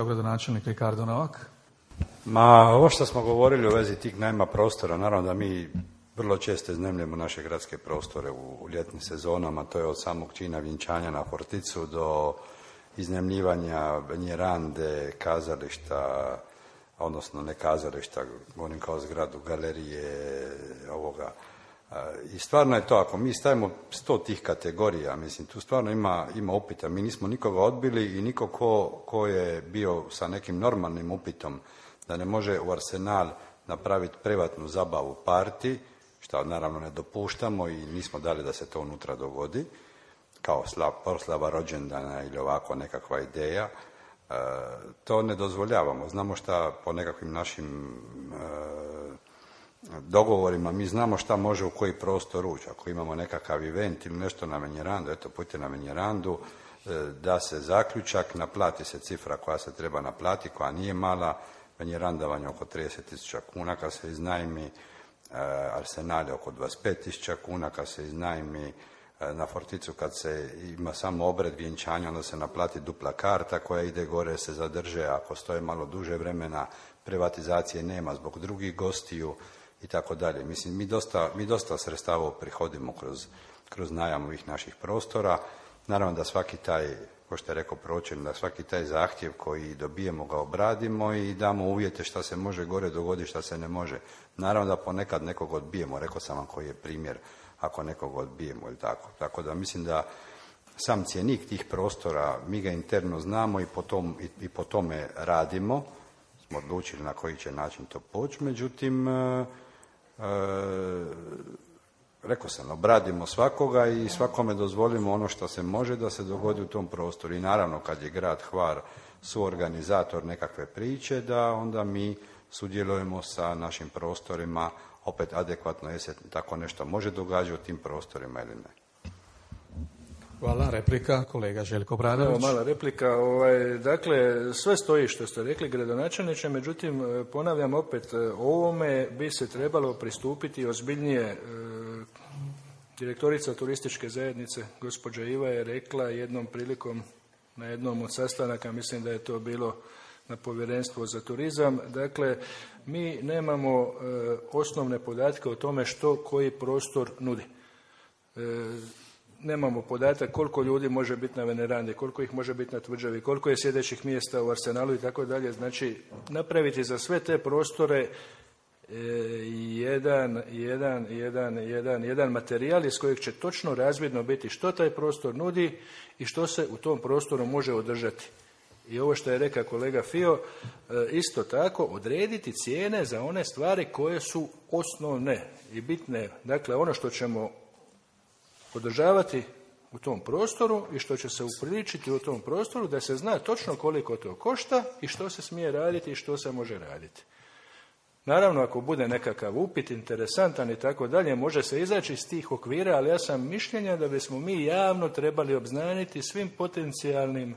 Gradonačelnik Ricardo Novak. Ma, ovo što smo govorili u vezi tih najma prostora, naravno da mi vrlo često iznajmljujemo naše gradske prostore u ljetnim sezonama, to je od samog čina vjenčanja na Forticu do iznajmljivanja Banjerande, kazališta, odnosno ne kazališta, govorim kao zgradu, galerije, ovoga. I stvarno je to, ako mi stavimo 100 tih kategorija, mislim, tu stvarno ima upita. Mi nismo nikoga odbili i niko ko je bio sa nekim normalnim upitom da ne može u Arsenal napraviti privatnu zabavu parti, što naravno ne dopuštamo i nismo dali da se to unutra dogodi, kao proslava rođendana ili ovako nekakva ideja. To ne dozvoljavamo. Znamo šta po nekakvim našim dogovorima, mi znamo šta može u koji prostor ući. Ako imamo nekakav event ili nešto na Menjerandu, eto, pojďte na Menjerandu, da se zaključak, naplati se cifra koja se treba naplatiti, koja nije mala. Menjeranda vam je oko 30.000 kuna kad se iznajmi, Arsenal je oko 25.000 kuna kad se iznajmi, na Forticu kad se ima samo obred vjenčanja, onda se naplati dupla karta koja ide gore, se zadrže, ako stoje malo duže vremena, privatizacije nema zbog drugih gostiju i tako dalje. Mislim, mi dosta sredstava prihodimo kroz najam ovih naših prostora. Naravno da svaki taj, kao što je rekao pročelnik, da svaki taj zahtjev koji dobijemo ga obradimo i damo uvjete šta se može gore dogoditi, šta se ne može. Naravno da ponekad nekog odbijemo, rekao sam vam koji je primjer ako nekog odbijemo ili tako. Tako da mislim da sam cjenik tih prostora, mi ga interno znamo i po tome radimo, smo odlučili na koji će način to poći, međutim, rekao sam, obradimo svakoga i svakome dozvolimo ono što se može da se dogodi u tom prostoru. I naravno kad je grad Hvar suorganizator nekakve priče, da onda mi sudjelujemo sa našim prostorima opet adekvatno, je se tako nešto može događati u tim prostorima ili ne. Hvala. Replika, kolega Željko Obradović. Mala replika. Dakle, sve stoji što ste rekli, gradonačelniče, međutim, ponavljam opet, ovome bi se trebalo pristupiti ozbiljnije. Direktorica turističke zajednice, gospođa Iva, je rekla jednom prilikom na jednom od sastanaka, mislim da je to bilo na Povjerenstvu za turizam, dakle, mi nemamo osnovne podatke o tome što koji prostor nudi. Nemamo podatak koliko ljudi može biti na Venerandi, koliko ih može biti na Tvrđavi, koliko je sjedećih mjesta u Arsenalu i tako dalje. Znači, napraviti za sve te prostore jedan materijal iz kojeg će točno razvidno biti što taj prostor nudi i što se u tom prostoru može održati. I ovo što je rekao kolega Fio, isto tako odrediti cijene za one stvari koje su osnovne i bitne. Dakle, ono što ćemo održavati u tom prostoru i što će se upriličiti u tom prostoru, da se zna točno koliko to košta i što se smije raditi i što se može raditi. Naravno, ako bude nekakav upit interesantan i tako dalje, može se izaći iz tih okvira, ali ja sam mišljenja da bismo mi javno trebali obznaniti svim potencijalnim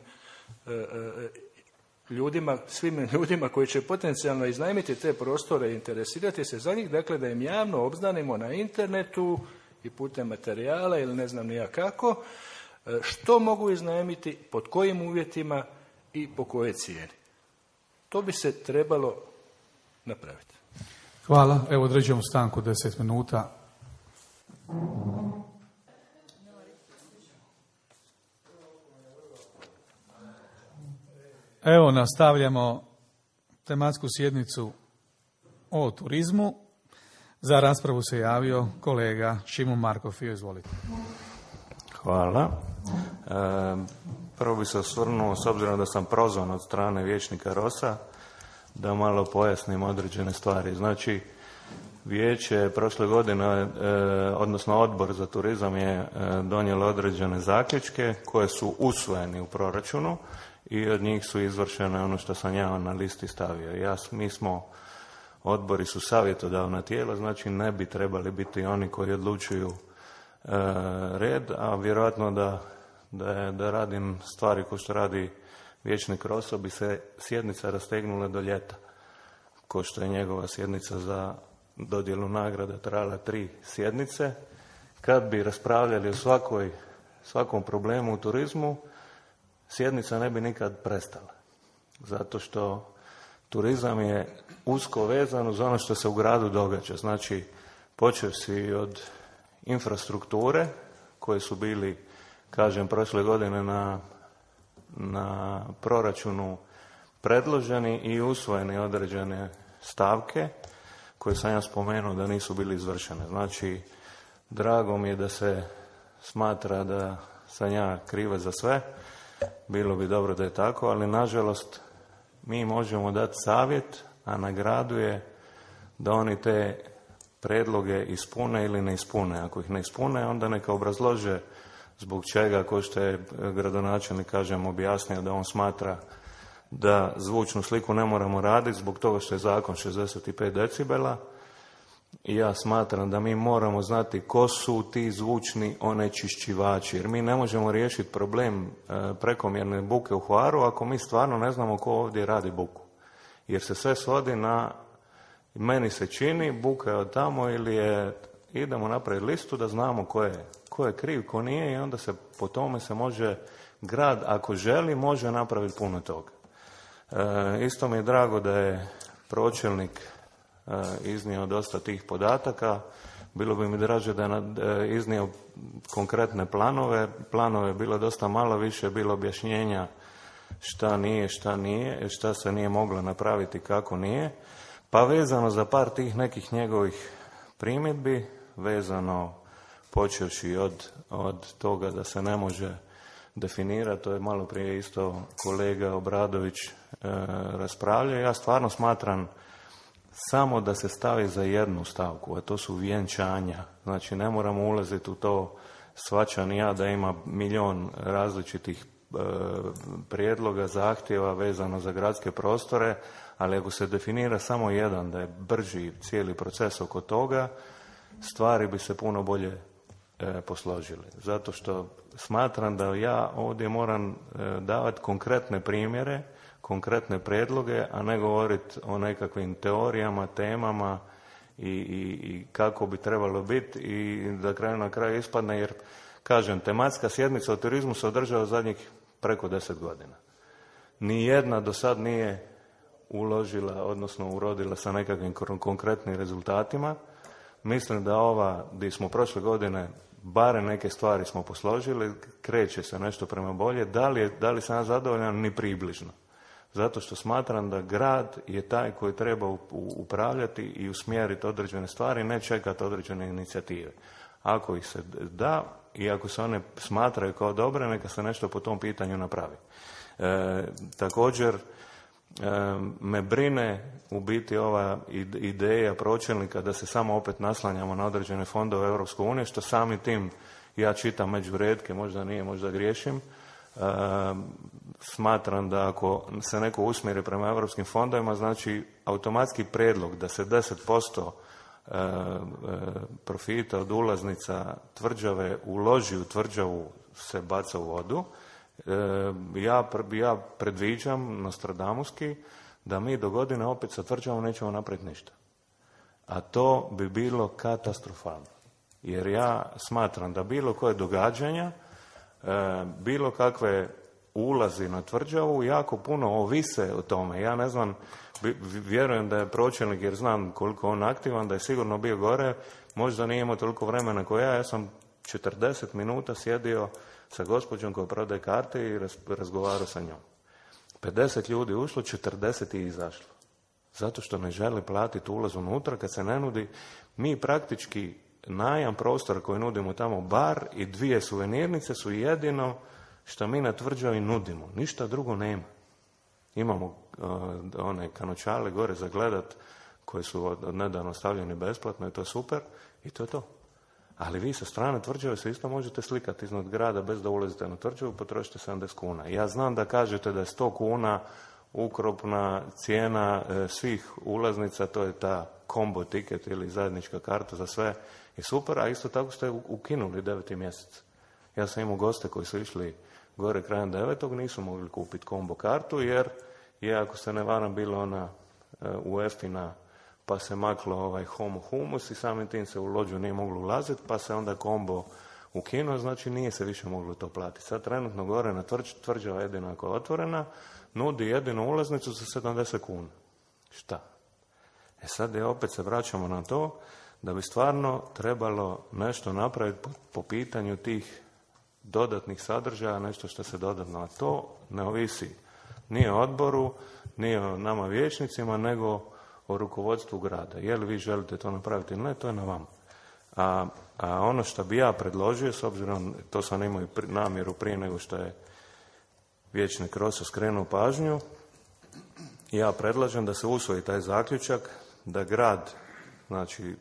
svim ljudima koji će potencijalno iznajmiti te prostore i interesirati se za njih, dakle da im javno obznanimo na internetu i putem materijala ili ne znam ni ja kako, što mogu iznajmiti, pod kojim uvjetima i po kojoj cijeni. To bi se trebalo napraviti. Hvala. Evo određujemo stanku 10 minuta. Evo nastavljamo tematsku sjednicu o turizmu. Za raspravu se javio kolega Šimo Markov. Izvolite. Hvala. Prvo bi se osvrnuo, s obzirom da sam prozvan od strane vijećnika Rosa, da malo pojasnim određene stvari. Znači, vijeće prošle godine, odnosno odbor za turizam je donijelo određene zaključke koje su usvojeni u proračunu i od njih su izvršene ono što sam ja na listi stavio. Odbori su savjetodavna tijela, znači ne bi trebali biti oni koji odlučuju red, a vjerojatno da radim stvari koje što radi vijećnik Roso bi se sjednica rastegnula do ljeta, ko što je njegova sjednica za dodjelu nagrada trajala 3 sjednice. Kad bi raspravljali o svakom problemu u turizmu, sjednica ne bi nikad prestala. Zato što turizam je usko vezan uz ono što se u gradu događa. Znači, počevši od infrastrukture koje su bili, kažem, prošle godine na proračunu predloženi i usvojeni određene stavke koje sam ja spomenuo da nisu bili izvršene. Znači, drago mi je da se smatra da sam ja krivac za sve. Bilo bi dobro da je tako, ali nažalost mi možemo dati savjet, a na gradu je da oni te predloge ispune ili ne ispune. Ako ih ne ispune, onda neka obrazlože zbog čega, ko što je gradonačelnik, kažem, objasnio da on smatra da zvučnu sliku ne moramo raditi zbog toga što je zakon 65 decibela. I ja smatram da mi moramo znati ko su ti zvučni onečišćivači, jer mi ne možemo riješiti problem prekomjerne buke u Hvaru ako mi stvarno ne znamo ko ovdje radi buku. Jer se sve svodi na, meni se čini, buka je od tamo ili je, idemo napraviti listu da znamo ko je kriv, ko nije i onda se po tome se može, grad ako želi može napraviti puno toga. Isto mi je drago da je pročelnik iznio dosta tih podataka. Bilo bi mi draže da je iznio konkretne planove. Planove je bilo dosta malo, više je bilo objašnjenja šta nije, šta se nije moglo napraviti, kako nije. Pa vezano za par tih nekih njegovih primjedbi, vezano počevši od toga da se ne može definirati, to je malo prije isto kolega Obradović raspravljao. Ja stvarno smatram samo da se stavi za jednu stavku, a to su vjenčanja. Znači, ne moramo ulaziti u to, shvaćam ja da ima milion različitih prijedloga, zahtjeva vezano za gradske prostore, ali ako se definira samo jedan, da je brži cijeli proces oko toga, stvari bi se puno bolje posložile. Zato što smatram da ja ovdje moram davati konkretne primjere, konkretne prijedloge, a ne govoriti o nekakvim teorijama, temama i kako bi trebalo biti i da na kraju ispadne, jer kažem, tematska sjednica o turizmu se održava zadnjih preko 10 godina. Nijedna do sad nije uložila, odnosno urodila sa nekakvim konkretnim rezultatima. Mislim da ova, gdje smo prošle godine barem neke stvari smo posložili, kreće se nešto prema bolje. Da li sam ja zadovoljan? Ni približno. Zato što smatram da grad je taj koji treba upravljati i usmjeriti određene stvari, ne čekati određene inicijative. Ako ih se da i ako se one smatraju kao dobre, neka se nešto po tom pitanju napravi. Također me brine u biti ova ideja pročelnika da se samo opet naslanjamo na određene fondove Europske unije, što sami tim ja čitam među retke, možda nije, možda griješim. Smatram da ako se neko usmjeri prema europskim fondovima, znači automatski prijedlog da se 10% profita od ulaznica tvrđave uloži u tvrđavu se baca u vodu. Ja predviđam nostradamuski da mi do godine opet sa tvrđavom nećemo napraviti ništa. A to bi bilo katastrofalno. Jer ja smatram da bilo koje događanja, bilo kakve ulazi na tvrđavu jako puno ovise o tome. Ja ne znam, vjerujem da je pročelnik, jer znam koliko on aktivan, da je sigurno bio gore, možda nije imao toliko vremena kao ja sam 40 minuta sjedio sa gospođom koja prodaje karte i razgovarao sa njom. 50 ljudi ušlo, 40 je izašlo. Zato što ne žele platiti ulaz unutra kad se ne nudi. Mi praktički najam prostora koji nudimo tamo, bar i 2 suvenirnice su jedino što mi na tvrđavi nudimo. Ništa drugo nema. Imamo one kanočale gore za gledat koje su od nedavno stavljeni besplatno i to je super i to je to. Ali vi sa strane tvrđave se isto možete slikati iznad grada bez da ulazite na tvrđavu, potrošite 70 kuna. Ja znam da kažete da je 100 kuna ukupna cijena svih ulaznica, to je ta combo tiket ili zajednička karta za sve i super, a isto tako ste ukinuli 9. mjesec. Ja sam imao goste koji su išli gore krajem 9. nisu mogli kupiti combo kartu jer je, ako se ne varam, bila ona UEFA pa se maklo homo humus i samim tim se u lođu nije moglo ulaziti, pa se onda combo ukinuo, znači nije se više moglo to platiti. Sad trenutno gore na tvrđava jedina koja je otvorena, nudi jedinu ulaznicu za 70 kuna. Šta? Sad opet se vraćamo na to da bi stvarno trebalo nešto napraviti po pitanju tih dodatnih sadržaja, nešto što se dodatno, a to ne ovisi ni o odboru, ni o nama vijećnicima, nego o rukovodstvu grada. Je li vi želite to napraviti ili ne, to je na vama. A ono što bi ja predložio, s obzirom, to sam imao i namjeru prije nego što je vijećnik Rosa skrenuo pažnju, ja predlažem da se usvoji taj zaključak, da grad, znači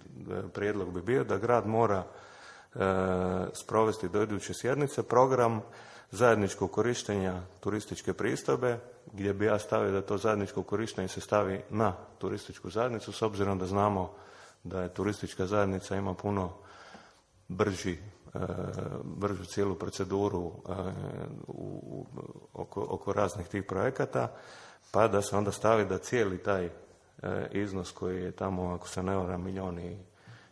prijedlog bi bio da grad mora sprovesti do iduće sjednice program zajedničkog korištenja turističke pristojbe, gdje bi ja stavio da to zajedničko korištenje se stavi na turističku zajednicu, s obzirom da znamo da je turistička zajednica ima puno bržu cijelu proceduru oko raznih tih projekata, pa da se onda stavi da cijeli taj iznos koji je tamo, ako se ne varam, milijun i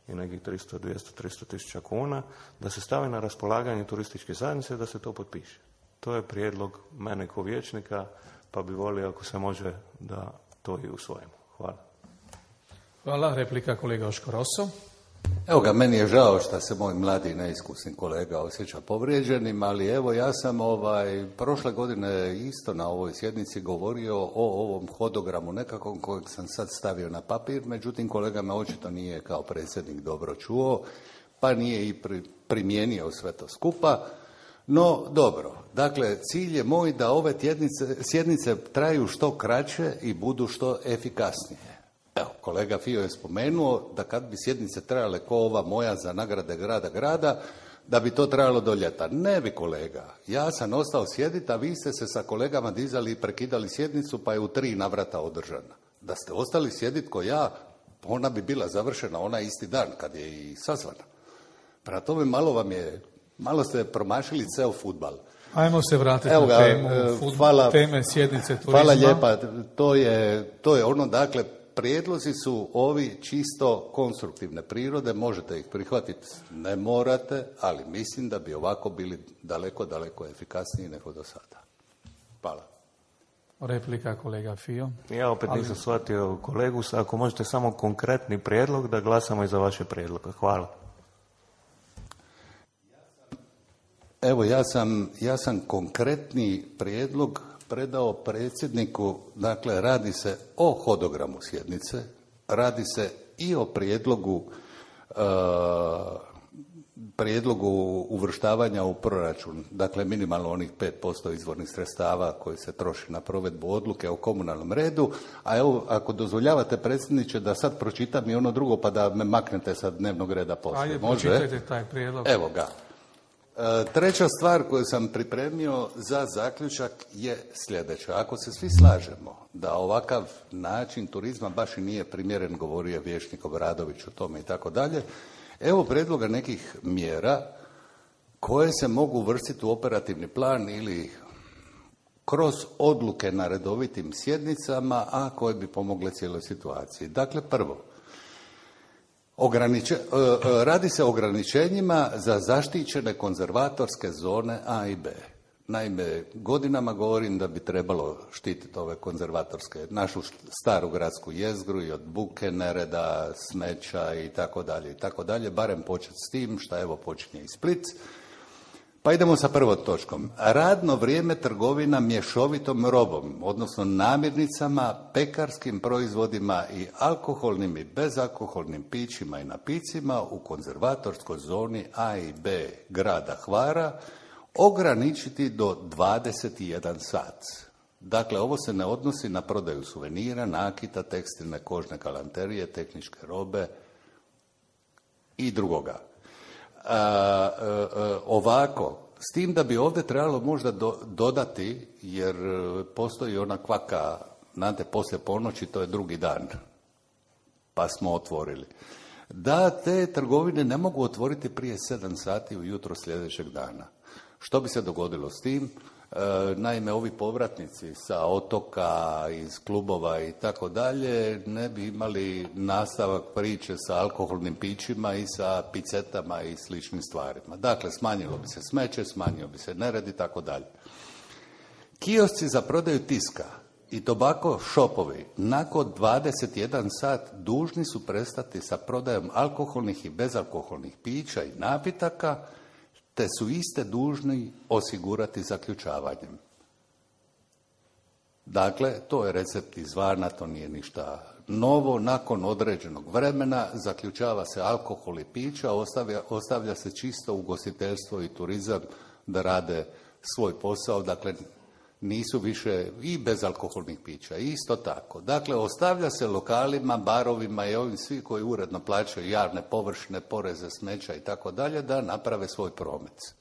nekih 300, 200, 300 tisuća kuna, da se stavi na raspolaganje turističke zajednice, da se to potpiše. To je prijedlog mene kao vijećnika, pa bi volio ako se može da to i usvojimo. Hvala. Hvala. Replika kolega Joško Rosso. Evo ga, meni je žao što se moj mladi i neiskusni kolega osjeća povrijeđenim, ali evo ja sam prošle godine isto na ovoj sjednici govorio o ovom hodogramu nekakvom kojeg sam sad stavio na papir, međutim kolega me očito nije kao predsjednik dobro čuo, pa nije i primijenio sve to skupa. No, dobro. Dakle, cilj je moj da ove sjednice traju što kraće i budu što efikasnije. Evo, kolega Fio je spomenuo da kad bi sjednice trajale ko ova moja za nagrade grada, da bi to trajalo do ljeta. Ne bi, kolega. Ja sam ostao sjediti, a vi ste se sa kolegama dizali i prekidali sjednicu, pa je u 3 navrata održana. Da ste ostali sjediti ko ja, ona bi bila završena onaj isti dan kad je i sazvana. Prema tome malo ste promašili ceo fudbal. Ajmo se vratiti na temu teme sjednice turizma. Hvala lijepa. To je ono, dakle, prijedlozi su ovi čisto konstruktivne prirode, možete ih prihvatiti, ne morate, ali mislim da bi ovako bili daleko, daleko efikasniji nego do sada. Hvala. Replika kolega Fio. Ja opet nisam shvatio kolegu, ako možete samo konkretni prijedlog da glasamo i za vaše prijedloge. Hvala. Evo, ja sam konkretni prijedlog predao predsjedniku, dakle radi se o hodogramu sjednice, radi se i o prijedlogu uvrštavanja u proračun, dakle minimalno onih 5% izvornih sredstava koji se troši na provedbu odluke o komunalnom redu, a evo, ako dozvoljavate predsjedniče da sad pročitam i ono drugo pa da me maknete sa dnevnog reda poslije. Ajde, pročitajte taj prijedlog. Evo ga. Treća stvar koju sam pripremio za zaključak je sljedeća. Ako se svi slažemo da ovakav način turizma baš i nije primjeren, govorio je vijećnik Obradović o tome i tako dalje, evo predloga nekih mjera koje se mogu uvrstiti u operativni plan ili kroz odluke na redovitim sjednicama, a koje bi pomogle cijeloj situaciji. Dakle, prvo, radi se o ograničenjima za zaštićene konzervatorske zone A i B. Naime, godinama govorim da bi trebalo štititi ove konzervatorske, našu staru gradsku jezgru i od buke, nereda, smeća i tako dalje, barem početi s tim, šta evo počinje i Split. Pa idemo sa prvom točkom. Radno vrijeme trgovina mješovitom robom, odnosno namirnicama, pekarskim proizvodima i alkoholnim i bezalkoholnim pićima i napicima u konzervatorskoj zoni A i B grada Hvara ograničiti do 21 sat. Dakle, ovo se ne odnosi na prodaju suvenira, nakita, tekstilne, kožne galanterije, tehničke robe i drugoga. Ovako, s tim da bi ovdje trebalo možda dodati, jer postoji ona kvaka, znate, poslije ponoći, to je drugi dan, pa smo otvorili, da te trgovine ne mogu otvoriti prije 7 sati ujutro sljedećeg dana. Što bi se dogodilo s tim? Naime, ovi povratnici sa otoka, iz klubova i tako dalje, ne bi imali nastavak priče sa alkoholnim pićima i sa picetama i sličnim stvarima. Dakle, smanjilo bi se smeće, smanjio bi se nered i tako dalje. Kiosci za prodaju tiska i tobako šopovi nakon 21 sat dužni su prestati sa prodajom alkoholnih i bezalkoholnih pića i napitaka, te su iste dužni osigurati zaključavanjem. Dakle, to je recept izvana, to nije ništa novo. Nakon određenog vremena zaključava se alkohol i pića, ostavlja se čisto ugostiteljstvo i turizam da rade svoj posao, dakle nisu više i bezalkoholnih pića, isto tako. Dakle, ostavlja se lokalima, barovima i ovim svi koji uredno plaćaju javne površine, poreze, smeća i tako dalje, da naprave svoj promet.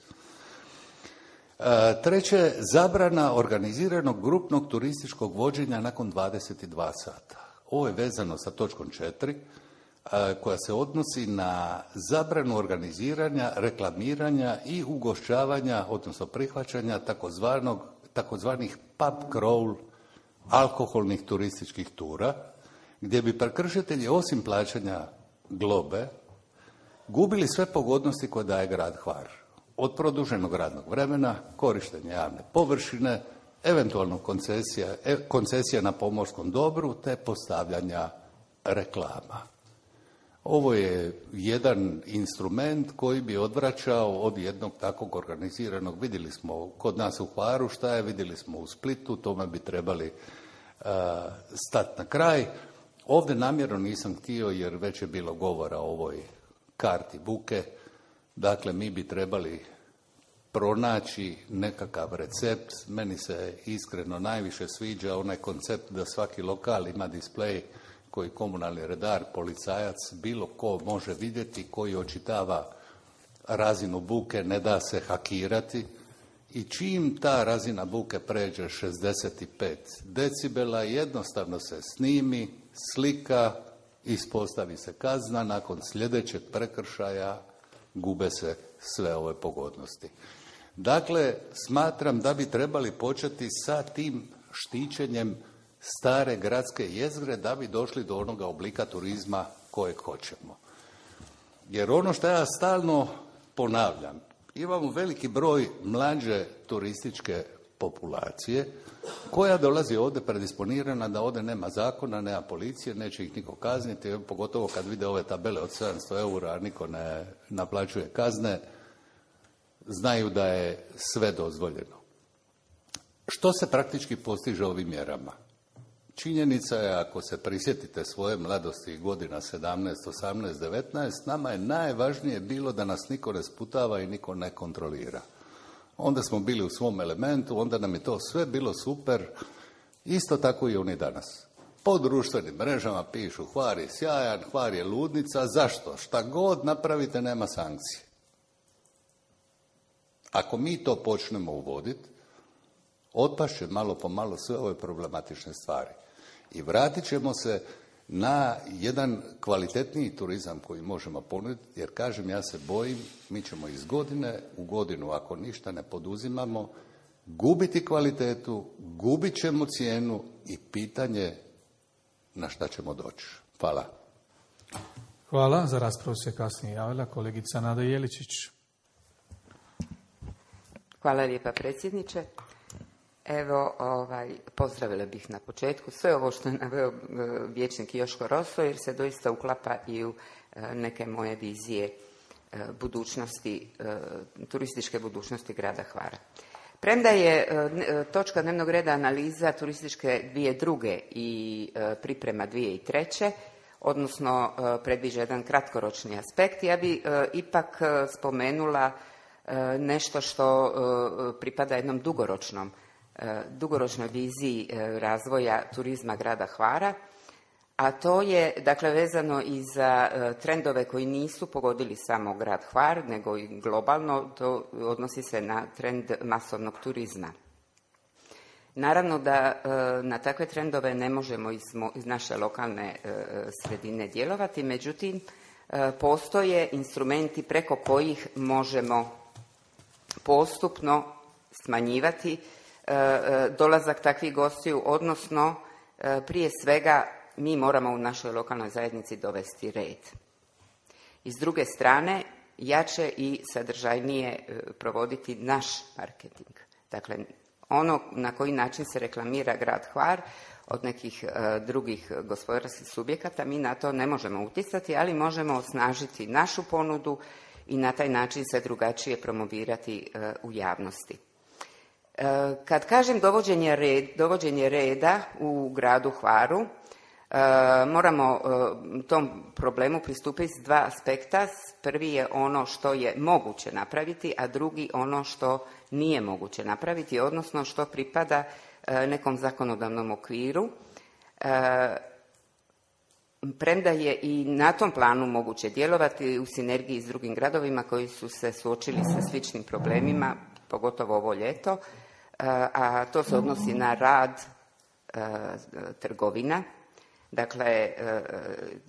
Treće, zabrana organiziranog grupnog turističkog vođenja nakon 22 sata. Ovo je vezano sa točkom 4, koja se odnosi na zabranu organiziranja, reklamiranja i ugošćavanja, odnosno prihvaćanja takozvanih pub crawl alkoholnih turističkih tura, gdje bi prekršitelji osim plaćanja globe gubili sve pogodnosti koje daje grad Hvar. Od produženog radnog vremena, korištenja javne površine, eventualno koncesija na pomorskom dobru te postavljanja reklama. Ovo je jedan instrument koji bi odvraćao od jednog takvog organiziranog. Vidjeli smo kod nas u Hvaru šta je, vidjeli smo u Splitu, tome bi trebali stati na kraj. Ovdje namjerno nisam htio jer već je bilo govora o ovoj karti buke. Dakle, mi bi trebali pronaći nekakav recept. Meni se iskreno najviše sviđa onaj koncept da svaki lokal ima displej koji komunalni redar, policajac, bilo ko može vidjeti, koji očitava razinu buke, ne da se hakirati. I čim ta razina buke pređe 65 decibela, jednostavno se snimi, slika, ispostavi se kazna, nakon sljedećeg prekršaja gube se sve ove pogodnosti. Dakle, smatram da bi trebali početi sa tim štićenjem stare gradske jezgre da bi došli do onoga oblika turizma kojeg hoćemo. Jer ono što ja stalno ponavljam, imamo veliki broj mlađe turističke populacije koja dolazi ovdje predisponirana da ovdje nema zakona, nema policije, neće ih niko kazniti, pogotovo kad vide ove tabele od 700 eura, a niko ne naplaćuje kazne, znaju da je sve dozvoljeno. Što se praktički postiže ovim mjerama? Činjenica je, ako se prisjetite svoje mladosti godina 17, 18, 19, nama je najvažnije bilo da nas niko ne sputava i niko ne kontrolira. Onda smo bili u svom elementu, onda nam je to sve bilo super, isto tako i oni danas. Po društvenim mrežama pišu Hvar je sjajan, Hvar je ludnica, zašto? Šta god napravite nema sankcije. Ako mi to počnemo uvoditi, otpašće malo po malo sve ove problematične stvari. I vratit ćemo se na jedan kvalitetniji turizam koji možemo ponuditi, jer kažem, ja se bojim, mi ćemo iz godine u godinu, ako ništa ne poduzimamo, gubiti kvalitetu, gubit ćemo cijenu i pitanje na šta ćemo doći. Hvala. Hvala. Za raspravu se kasnije javila kolegica Nada Jeličić. Hvala lijepa, predsjedniče. Evo, pozdravila bih na početku sve ovo što je naveo vijećnik Joško Roso, jer se doista uklapa i u neke moje vizije budućnosti, turističke budućnosti grada Hvara. Premda je točka dnevnog reda analiza turističke 2002. i priprema 2003. odnosno predviđa jedan kratkoročni aspekt, ja bi ipak spomenula nešto što pripada jednom dugoročnoj viziji razvoja turizma grada Hvara, a to je dakle vezano i za trendove koji nisu pogodili samo grad Hvar, nego i globalno, to odnosi se na trend masovnog turizma. Naravno da na takve trendove ne možemo iz naše lokalne sredine djelovati, međutim postoje instrumenti preko kojih možemo postupno smanjivati dolazak takvih gostiju, odnosno prije svega mi moramo u našoj lokalnoj zajednici dovesti red. I s druge strane, jače i sadržajnije provoditi naš marketing. Dakle, ono na koji način se reklamira grad Hvar od nekih drugih gospodarskih subjekata, mi na to ne možemo utjecati, ali možemo osnažiti našu ponudu i na taj način se drugačije promovirati u javnosti. Kad kažem dovođenje reda u gradu Hvaru, moramo tom problemu pristupiti s dva aspekta. Prvi je ono što je moguće napraviti, a drugi ono što nije moguće napraviti, odnosno što pripada nekom zakonodavnom okviru. Premda je i na tom planu moguće djelovati u sinergiji s drugim gradovima koji su se suočili sa sličnim problemima, pogotovo ovo ljeto, a to se odnosi na rad trgovina. Dakle,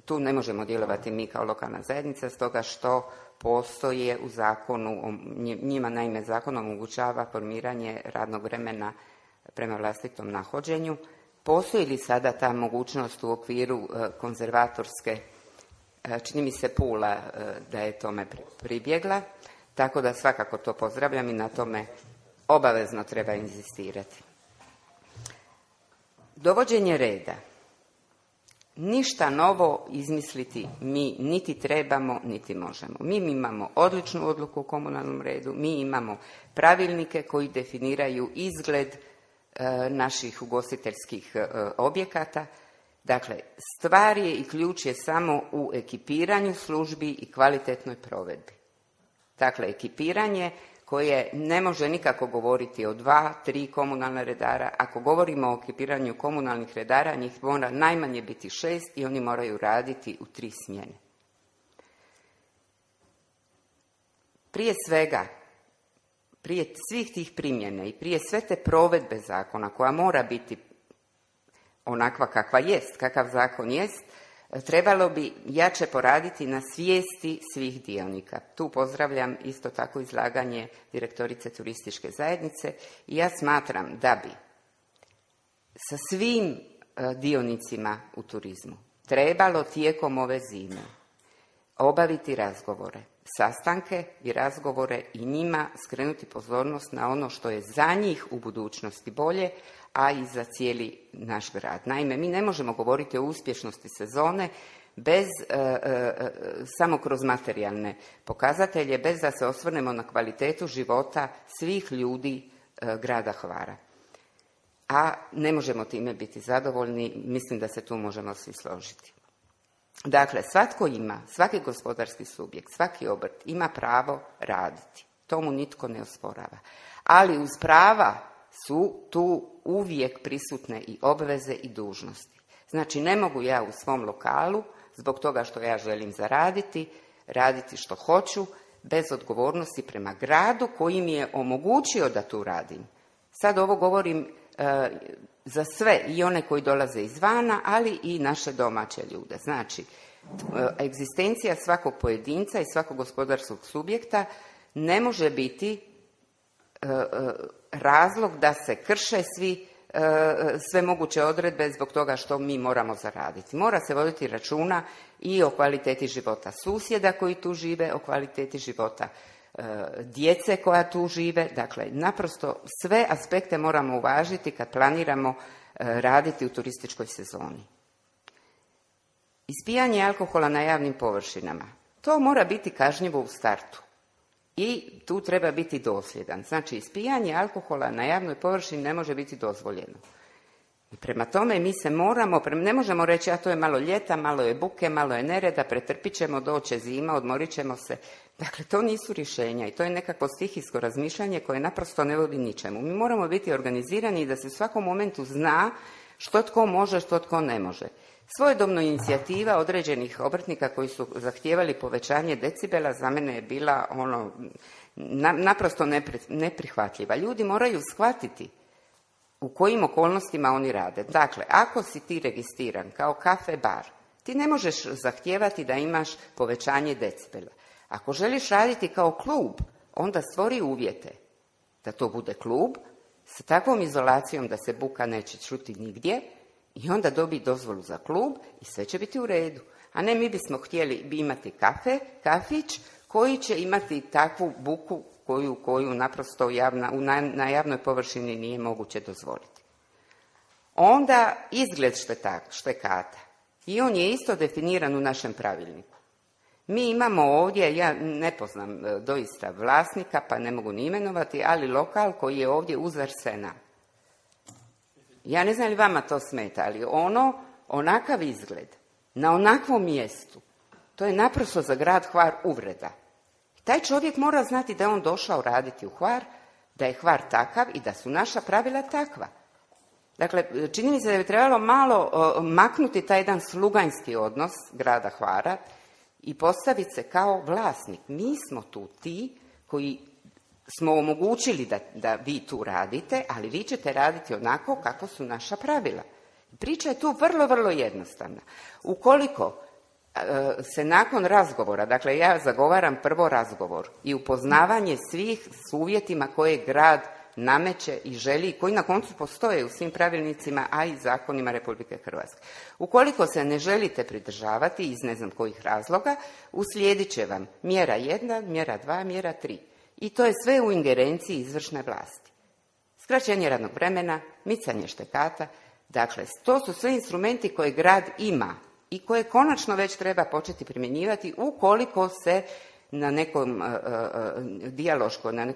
tu ne možemo djelovati mi kao lokalna zajednica, stoga što postoje u zakonu, njima naime zakon omogućava formiranje radnog vremena prema vlastitom nahođenju. Postoji li sada ta mogućnost u okviru konzervatorske, čini mi se Pula da je tome pribjegla, tako da svakako to pozdravljam i na tome obavezno treba inzistirati. Dovođenje reda. Ništa novo izmisliti mi niti trebamo, niti možemo. Mi imamo odličnu odluku o komunalnom redu, mi imamo pravilnike koji definiraju izgled naših ugostiteljskih objekata. Dakle, stvar je i ključ je samo u ekipiranju službi i kvalitetnoj provedbi. Dakle, ekipiranje koje ne može nikako govoriti o 2, 3 komunalna redara. Ako govorimo o ekipiranju komunalnih redara, njih mora najmanje biti 6 i oni moraju raditi u 3 smjene. Prije svega, prije svih tih primjene i prije sve te provedbe zakona koja mora biti onakva kakva jest, kakav zakon jest, trebalo bi jače poraditi na svijesti svih dionika. Tu pozdravljam isto tako izlaganje direktorice turističke zajednice i ja smatram da bi sa svim dionicima u turizmu trebalo tijekom ove zime obaviti razgovore, sastanke i razgovore i njima skrenuti pozornost na ono što je za njih u budućnosti bolje, a i za cijeli naš grad. Naime, mi ne možemo govoriti o uspješnosti sezone bez, samo kroz materijalne pokazatelje, bez da se osvrnemo na kvalitetu života svih ljudi grada Hvara. A ne možemo time biti zadovoljni, mislim da se tu možemo svi složiti. Dakle, svatko ima, svaki gospodarski subjekt, svaki obrt ima pravo raditi. To mu nitko ne osporava. Ali uz prava su tu uvijek prisutne i obveze i dužnosti. Znači, ne mogu ja u svom lokalu, zbog toga što ja želim zaraditi, raditi što hoću, bez odgovornosti prema gradu koji mi je omogućio da tu radim. Sad ovo govorim za sve, i one koji dolaze izvana, ali i naše domaće ljude. Znači, egzistencija svakog pojedinca i svakog gospodarskog subjekta ne može biti razlog da se krše sve moguće odredbe zbog toga što mi moramo zaraditi. Mora se voditi računa i o kvaliteti života susjeda koji tu žive, o kvaliteti života djece koja tu žive. Dakle, naprosto sve aspekte moramo uvažiti kad planiramo raditi u turističkoj sezoni. Ispijanje alkohola na javnim površinama. To mora biti kažnjivo u startu. I tu treba biti dosljedan. Znači, ispijanje alkohola na javnoj površini ne može biti dozvoljeno. I prema tome mi se ne možemo reći, a to je malo ljeta, malo je buke, malo je nereda, pretrpit ćemo, doće zima, odmorit ćemo se. Dakle, to nisu rješenja i to je nekakvo stihijsko razmišljanje koje naprosto ne vodi ničemu. Mi moramo biti organizirani i da se u svakom momentu zna što tko može, što tko ne može. Svojedobno inicijativa određenih obrtnika koji su zahtijevali povećanje decibela za mene je bila naprosto neprihvatljiva. Ljudi moraju shvatiti u kojim okolnostima oni rade. Dakle, ako si ti registriran kao kafe bar, ti ne možeš zahtijevati da imaš povećanje decibela. Ako želiš raditi kao klub, onda stvori uvjete da to bude klub sa takvom izolacijom da se buka neće čuti nigdje i onda dobije dozvolu za klub i sve će biti u redu. A ne, mi bismo htjeli imati kafić koji će imati takvu buku koju naprosto na javnoj površini nije moguće dozvoliti. Onda izgled štekata. I on je isto definiran u našem pravilniku. Mi imamo ovdje, ja ne poznam doista vlasnika, pa ne mogu ni imenovati, ali lokal koji je ovdje uz Arsena. Ja ne znam li vama to smeta, ali onakav izgled, na onakvom mjestu, to je naprosto za grad Hvar uvreda. Taj čovjek mora znati da je on došao raditi u Hvar, da je Hvar takav i da su naša pravila takva. Dakle, čini mi se da bi trebalo malo maknuti taj jedan sluganjski odnos grada Hvara i postaviti se kao vlasnik. Mi smo tu ti koji smo omogućili da vi tu radite, ali vi ćete raditi onako kako su naša pravila. Priča je tu vrlo, vrlo jednostavna. Ukoliko se nakon razgovora, dakle ja zagovaram prvo razgovor i upoznavanje svih s uvjetima koje grad nameće i želi, koji na koncu postoje u svim pravilnicima, a i zakonima Republike Hrvatske. Ukoliko se ne želite pridržavati iz ne znam kojih razloga, uslijedit će vam mjera 1, mjera 2, mjera 3. I to je sve u ingerenciji izvršne vlasti. Skraćenje radnog vremena, micanje štekata, dakle to su sve instrumenti koje grad ima i koje konačno već treba početi primjenjivati ukoliko se na nekoj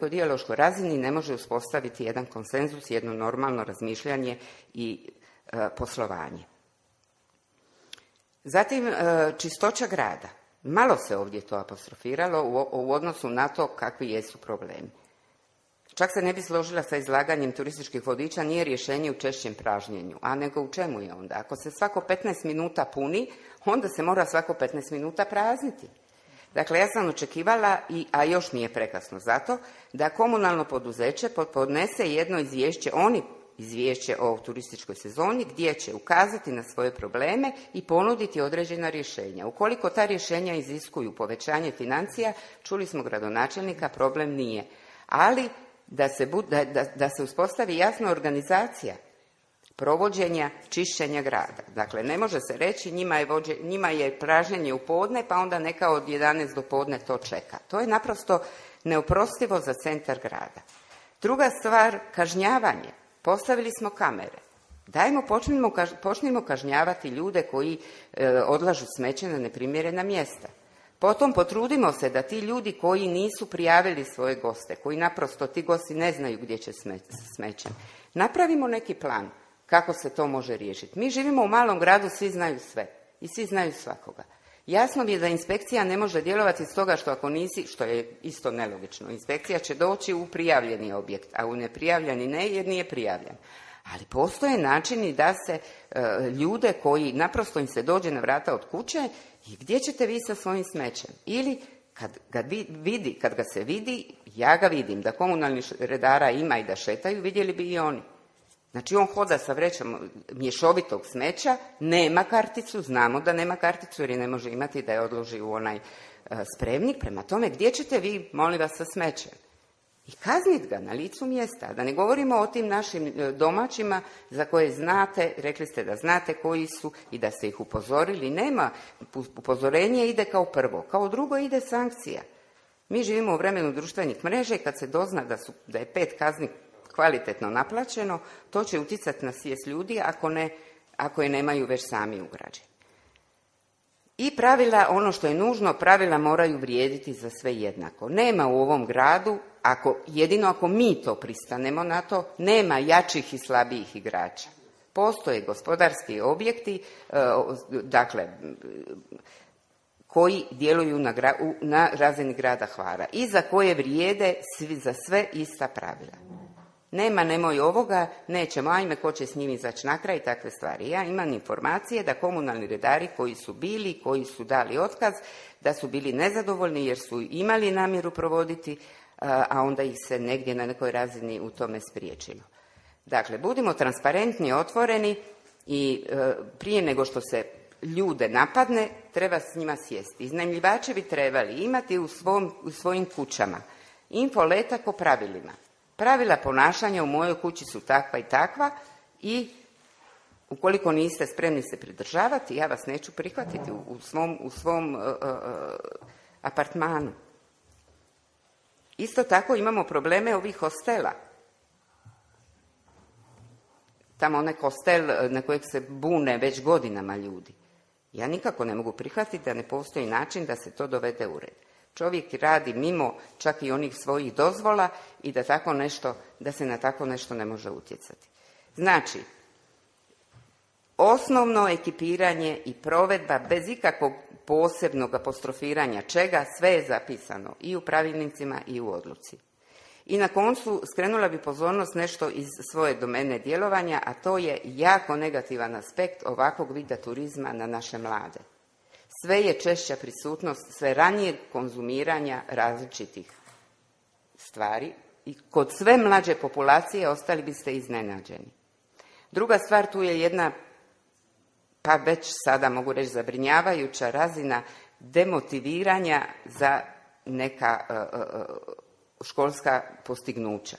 dijaloškoj razini ne može uspostaviti jedan konsenzus, jedno normalno razmišljanje i poslovanje. Zatim, čistoća grada. Malo se ovdje to apostrofiralo u odnosu na to kakvi jesu problemi. Čak se ne bi složila sa izlaganjem turističkih vodiča, nije rješenje u češćem pražnjenju, a nego u čemu je onda? Ako se svako 15 minuta puni, onda se mora svako 15 minuta prazniti. Dakle, ja sam očekivala, a još nije prekasno zato, da komunalno poduzeće podnese jedno izvješće o turističkoj sezoni gdje će ukazati na svoje probleme i ponuditi određena rješenja. Ukoliko ta rješenja iziskuju povećanje financija, čuli smo gradonačelnika, problem nije. Ali da se uspostavi jasna organizacija provođenja čišćenja grada. Dakle, ne može se reći njima je pražnjenje u podne, pa onda neka od 11 do podne to čeka. To je naprosto neoprostivo za centar grada. Druga stvar, kažnjavanje. Postavili smo kamere. Počnimo kažnjavati ljude koji odlažu smeće na neprimjerena mjesta. Potom potrudimo se da ti ljudi koji nisu prijavili svoje goste, koji naprosto ti gosti ne znaju gdje će smećem, napravimo neki plan kako se to može riješiti. Mi živimo u malom gradu, svi znaju sve i svi znaju svakoga. Jasno mi je da inspekcija ne može djelovati stoga što ako nisi, što je isto nelogično, inspekcija će doći u prijavljeni objekt, a u neprijavljeni ne jer nije prijavljen. Ali postoje načini da se ljude koji naprosto im se dođe na vrata od kuće i gdje ćete vi sa svojim smećem? Ili kad ga se vidi, ja ga vidim, da komunalnih redara ima i da šetaju, vidjeli bi i oni. Znači on hoda sa vrećom mješovitog smeća, nema karticu, znamo da nema karticu jer je ne može imati da je odloži u onaj spremnik. Prema tome, gdje ćete vi, molim vas, sa smećem? I kaznit ga na licu mjesta. Da ne govorimo o tim našim domaćima za koje znate, rekli ste da znate koji su i da ste ih upozorili. Nema, upozorenje ide kao prvo. Kao drugo ide sankcija. Mi živimo u vremenu društvenih mreža i kad se dozna da je 5 kazni kvalitetno naplaćeno, to će utjecati na svijest ljudi ako je nemaju već sami ugrađeni. I pravila, ono što je nužno, pravila moraju vrijediti za sve jednako. Nema u ovom gradu, jedino ako mi to pristanemo na to, nema jačih i slabijih igrača. Postoje gospodarski objekti, dakle, koji djeluju na razini grada Hvara i za koje vrijede za sve ista pravila. Nema, nemoj ovoga, nećemo, ajme, ko će s njim izaći na kraj i takve stvari. Ja imam informacije da komunalni redari koji su dali otkaz, da su bili nezadovoljni jer su imali namjeru provoditi, a onda ih se negdje na nekoj razini u tome spriječilo. Dakle, budimo transparentni, otvoreni i prije nego što se ljude napadne, treba s njima sjesti. Iznajmljivači bi trebali imati u svojim kućama infoletak o pravilima. Pravila ponašanja u mojoj kući su takva i takva i ukoliko niste spremni se pridržavati, ja vas neću prihvatiti u svom apartmanu. Isto tako imamo probleme ovih hostela. Tamo onaj hostel na kojeg se bune već godinama ljudi. Ja nikako ne mogu prihvatiti da ne postoji način da se to dovede u red. Čovjek radi mimo čak i onih svojih dozvola i da se na tako nešto ne može utjecati. Znači, osnovno ekipiranje i provedba bez ikakvog posebnog apostrofiranja čega, sve je zapisano i u pravilnicima i u odluci. I na koncu skrenula bi pozornost nešto iz svoje domene djelovanja, a to je jako negativan aspekt ovakvog vida turizma na naše mlade. Sve je češća prisutnost, sve ranije konzumiranja različitih stvari i kod sve mlađe populacije ostali biste iznenađeni. Druga stvar, tu je jedna, pa već sada mogu reći zabrinjavajuća razina demotiviranja za neka školska postignuća.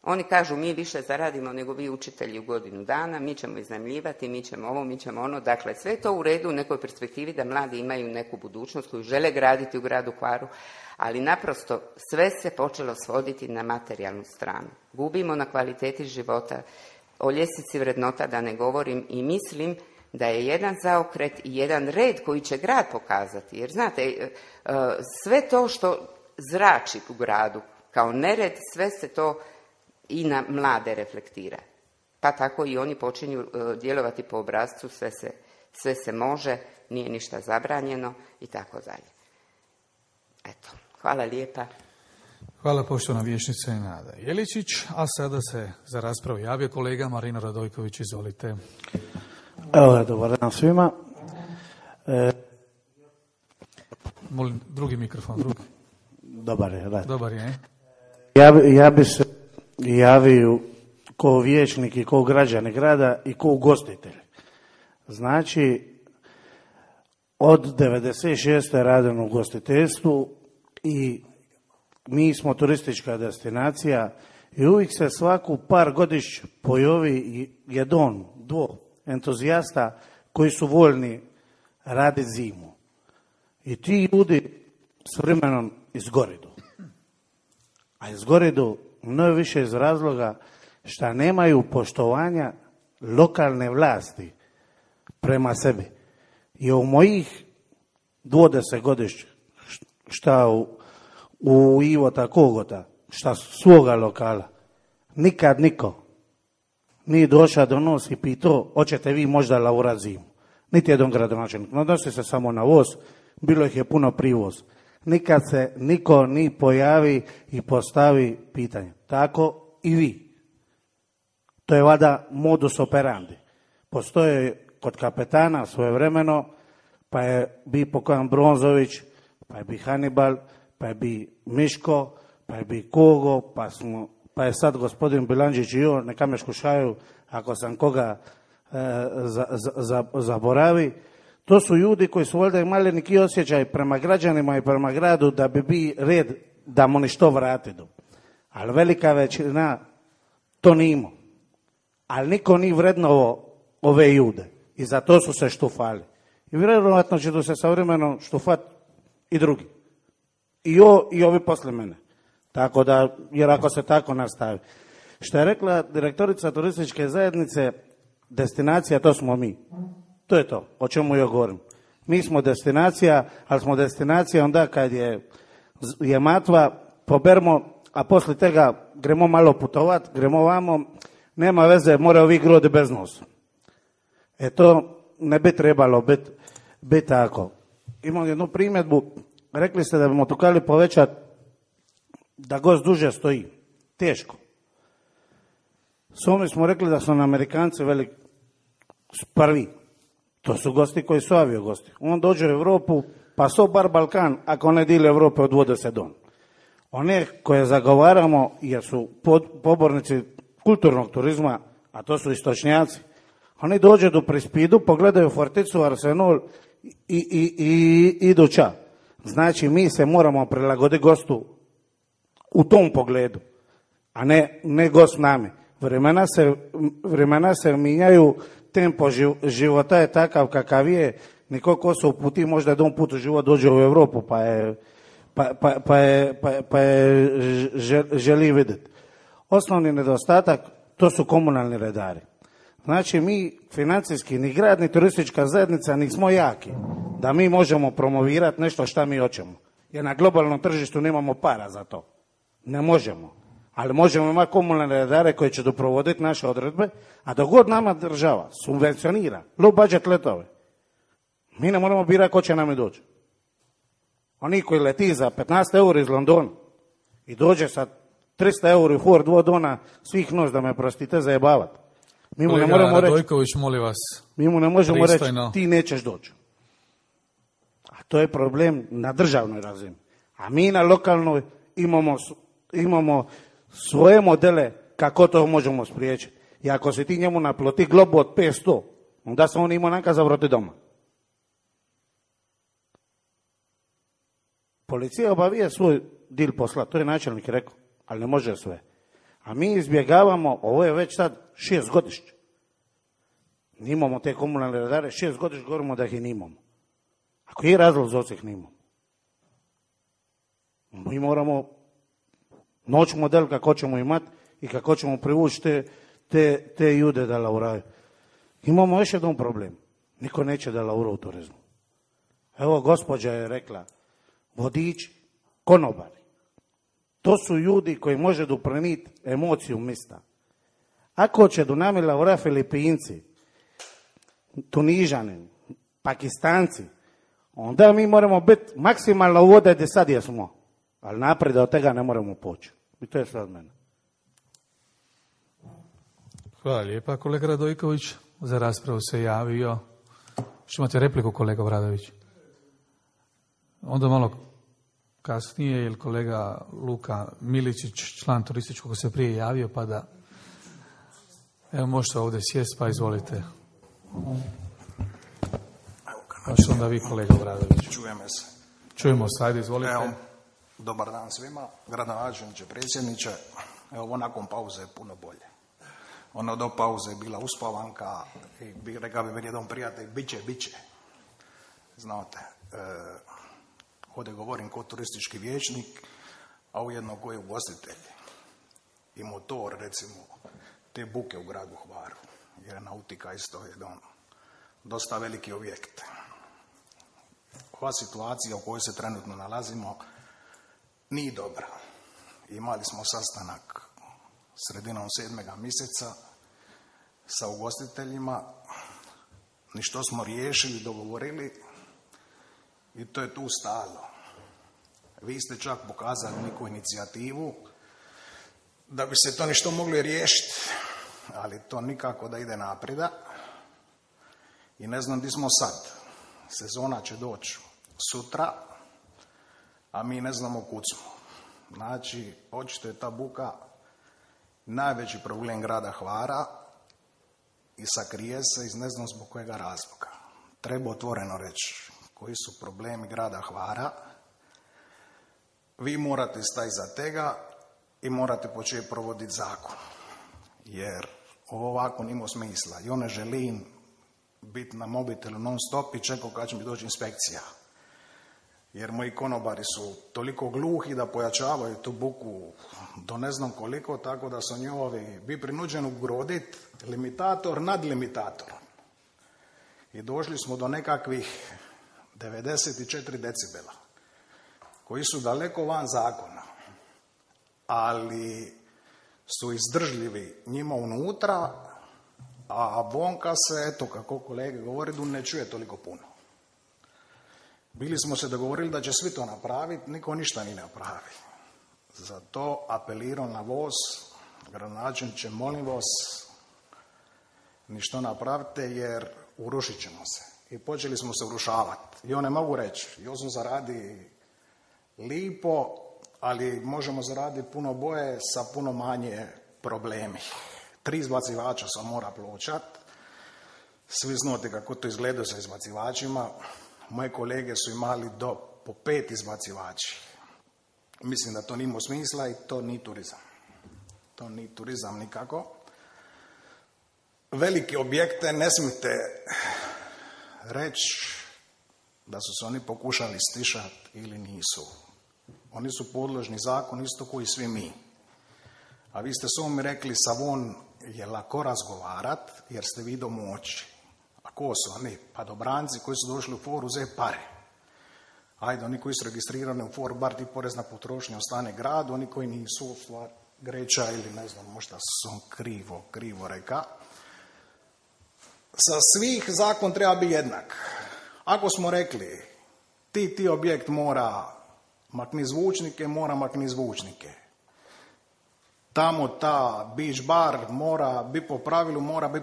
Oni kažu mi više zaradimo nego vi učitelji u godinu dana, mi ćemo iznajmljivati, mi ćemo ovo, mi ćemo ono. Dakle, sve je to u redu u nekoj perspektivi da mladi imaju neku budućnost koju žele graditi u gradu Hvaru, ali naprosto sve se počelo svoditi na materijalnu stranu. Gubimo na kvaliteti života, o ljestvici vrednota da ne govorim i mislim da je jedan zaokret i jedan red koji će grad pokazati. Jer znate, sve to što zrači u gradu kao nered, sve se to i na mlade reflektira. Pa tako i oni počinju djelovati po obrascu, sve se može, nije ništa zabranjeno i tako dalje. Eto, hvala lijepa. Hvala poštovana vijećnica Nada Jeličić, a sada se za raspravu javio kolega Marino Radojković, izvolite. Evo, dobar dan svima. Molim, drugi mikrofon, drugi. Dobar je, da. Dobar je. Ja bi se javio ko vijećnik i ko građani grada i ko ugostitelj. Znači, od 96. radim u ugostiteljstvu i mi smo turistička destinacija i uvijek se svaku par godiš pojavi jedan, dvo entuzijasta koji su voljni raditi zimu. I ti ljudi s vremenom izgoridu. A izgoridu mnogo više iz razloga što nemaju poštovanja lokalne vlasti prema sebi. I u mojih 20 godišća šta u Ivota Kogota, šta svoga lokala, nikad niko nije došao do nos i pitao, hoćete vi možda laurat zimu. Niti jedan gradonačelnik. Odnosi se samo na voz, bilo ih je puno privoz. Nikad se niko ni pojavi i postavi pitanje. Tako i vi. To je valjda modus operandi. Postoje kod kapetana svojevremeno, pa je bi Pokojan Bronzović, pa je bi Hannibal, pa je bi Miško, pa je bi Kogo, pa je sad gospodin Bilandžić i on, neka me škušaju ako sam koga zaboravi. To su ljudi koji su valjda imali neki osjećaj prema građanima i prema gradu da bi bi red da mu ništo vratiti. Ali velika većina to nije imao. Ali niko nije vrednovo ove ljude. I za to su se štufali. I vjerojatno će tu se sa vremenom štufati i drugi. I ovi posle mene. Tako da, jer ako se tako nastavi. Što je rekla direktorica turističke zajednice, destinacija, to smo mi. To je to, o čemu ja govorim. Mi smo destinacija, ali smo destinacija onda kad je matva, pobermo, a poslije tega gremo malo putovat, gremo vamo, nema veze, mora ovi grodi bez nosa. To ne bi trebalo biti tako. Imam jednu primjedbu, rekli ste da bi tukali povećati da gost duže stoji. Teško. S ovim smo rekli da su Amerikanci prvi. To su gosti koji su avio gosti. On dođe u Europu, pa so bar Balkan, ako ne dili Europe odvode se don. One koje zagovaramo, jer su pobornici kulturnog turizma, a to su istočnjaci, oni dođe do Prispidu, pogledaju Forticu, Arsenal i idu ča. Znači, mi se moramo prilagoditi gostu u tom pogledu. a ne gost nami. Vremena se mijenjaju, tempo života je takav kakav je, niko ko se uputi možda jedan put u život dođe u Europu pa je želi vidjeti. Osnovni nedostatak to su komunalni redari. Znači mi financijski ni grad ni turistička zajednica nismo jaki da mi možemo promovirati nešto šta mi hoćemo. Jer na globalnom tržištu nemamo para za to. Ne možemo. Ali možemo imati komunalne redare koji će doprovoditi naše odredbe, a dok god nama država subvencionira low budget letove, mi ne moramo birati ko će nam i doći. Oni koji leti za 15 eura iz Londona i dođe sa 300 eura u Ford Vodona svih noć, da me prostite, zajebavati. Mi mu ne moramo Radojković, molim vas. Mi mu ne možemo pristojno reći ti nećeš doći. A to je problem na državnoj razini. A mi na lokalnoj imamo svoje modele kako to možemo spriječiti. I ako se ti njemu naplati globu od 500, onda se on ima neka zavrati doma. Policija obavija svoj dil posla, to je načelnik rekao, ali ne može sve. A mi izbjegavamo, ovo je već sad 6 godišnje. Nimamo te komunalne redare, 6 godišnje govorimo da ih i nimamo. Ako je razlog za ih nimamo. Mi moramo noć model kako ćemo imati i kako ćemo privući te ljude da lauraju. Imamo još jedan problem. Niko neće da laura u turizmu. Evo, gospođa je rekla, vodiči, konobari. To su ljudi koji može doprinijeti emociju mista. Ako će do nami laura Filipinci, Tunižani, Pakistanci, onda mi moramo biti maksimalno vode gdje sad jesmo. Ali naprijed od toga ne moramo poći. I to je sve od mene. Hvala lijepa, kolega Radojković. Za raspravu se javio. Što imate repliku, kolega Vradović? Onda malo kasnije, jer kolega Luka Miličić, član turističkog, se prije javio, pa da... Evo, možete ovdje sjesti, pa izvolite. Pa što onda vi, kolega Vradović? Čujeme se. Čujemo se, ajde, izvolite. Evo, dobar dan svima, gradonačelniče, predsjedniče. Evo, nakon pauze je puno bolje. Ono do pauze je bila uspavanka i rekao bi meni jedan prijatelj, bit će. Znate, ovdje govorim kao turistički vijećnik, a ujedno koji ugostitelj i motor, recimo, te buke u gradu Hvaru, jer je nautika isto jedan dosta veliki objekt. Ova situacija u kojoj se trenutno nalazimo nije dobra. Imali smo sastanak sredinom 7. mjeseca sa ugostiteljima, ništo smo riješili, dogovorili i to je tu stalo. Vi ste čak pokazali neku inicijativu da bi se to ništo mogli riješiti, ali to nikako da ide naprijed. I ne znam gdje smo sad. Sezona će doći sutra, a mi ne znamo kud smo. Znači, očito je ta buka najveći problem grada Hvara i sakrije se iz ne znam zbog kojega razloga. Treba otvoreno reći koji su problemi grada Hvara. Vi morate stati za tega i morate početi provoditi zakon. Jer ovo ovako nima smisla. Ja ne želim biti na mobitelu non stop i čekao kad će mi doći inspekcija. Jer moji konobari su toliko gluhi da pojačavaju tu buku do ne znam koliko, tako da su njovi bi prinuđeni ugroditi limitator nad limitatorom. I došli smo do nekakvih 94 decibela, koji su daleko van zakona, ali su izdržljivi njima unutra, a bonka se, eto kako kolege govore, ne čuje toliko puno. Bili smo se dogovorili da će svi to napraviti, niko ništa ni napravi. Zato apeliram na vas, gradonačelniče, molim vas, ništa napravite jer urušit ćemo se. I počeli smo se urušavati. I ne mogu reći, ja sam zaradi lipo, ali možemo zaraditi puno boje sa puno manje problemi. 3 izbacivača sam mora pločat. Svi znate kako to izgleda sa izbacivačima. Moje kolege su imali po 5 izbacivači. Mislim da to nima smisla i to nije turizam. to nije turizam nikako. Velike objekte ne smijete reći da su se oni pokušali stišati ili nisu. Oni su podložni zakon isto koji svi mi. A vi ste sami rekli Savon je lako razgovarat jer ste vi domoći. A ko su oni? Pa dobranci koji su došli u foru uzeti pare. Ajde, oni koji su registrirani u foru, bar ti porez na potrošnju ostane gradu, oni koji nisu, stvar Greća ili ne znam, možda sam krivo reka. Sa svih zakon treba biti jednak. Ako smo rekli ti objekt mora makni zvučnike, mora makni zvučnike. Tamo ta beach bar mora biti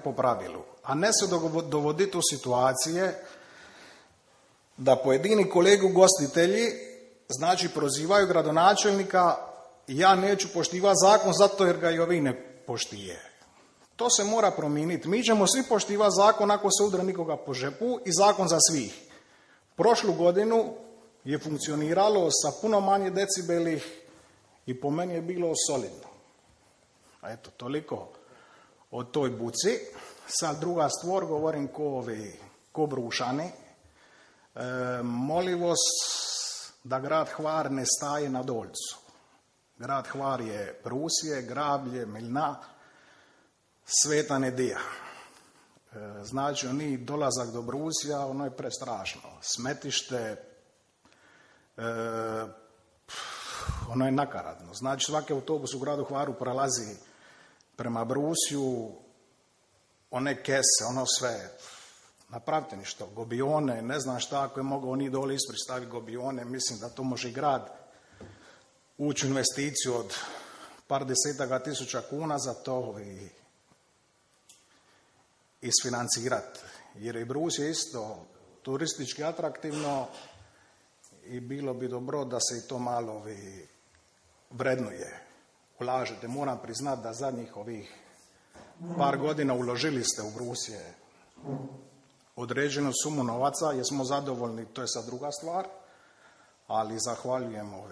po pravilu. A ne se dovoditi u situacije da pojedini kolegu gostitelji znači prozivaju gradonačelnika ja neću poštivati zakon zato jer ga i ovi ne poštije. To se mora promijeniti. Mi ćemo svi poštivati zakon ako se udra nikoga po žepu i zakon za svih. Prošlu godinu je funkcioniralo sa puno manje decibeli i po meni je bilo solidno. Eto, toliko o toj buci. Sad druga stvar, govorim ko Brušani. Molim vas da grad Hvar ne staje na Dolcu. Grad Hvar je Brusije, Grablje, Milna, Sveta Nedija. Znači, oni dolazak do Brusija, ono je prestrašno. Smetište, ono je nakaradno. Znači, svaki autobus u gradu Hvaru prolazi prema Brusiju, one kese, ono sve. Napravite ništa, gobione, ne znam šta, ako je mogao oni dole ispred staviti gobione, mislim da to može i grad ući u investiciju od par desetaka tisuća kuna za to i isfinancirati. Jer i Brus je isto turistički atraktivno i bilo bi dobro da se i to malo vrednuje. Ulažete, moram priznati da zadnjih ovih par godina uložili ste u Brusije određenu sumu novaca, jesmo zadovoljni, to je sad druga stvar, ali zahvaljujemo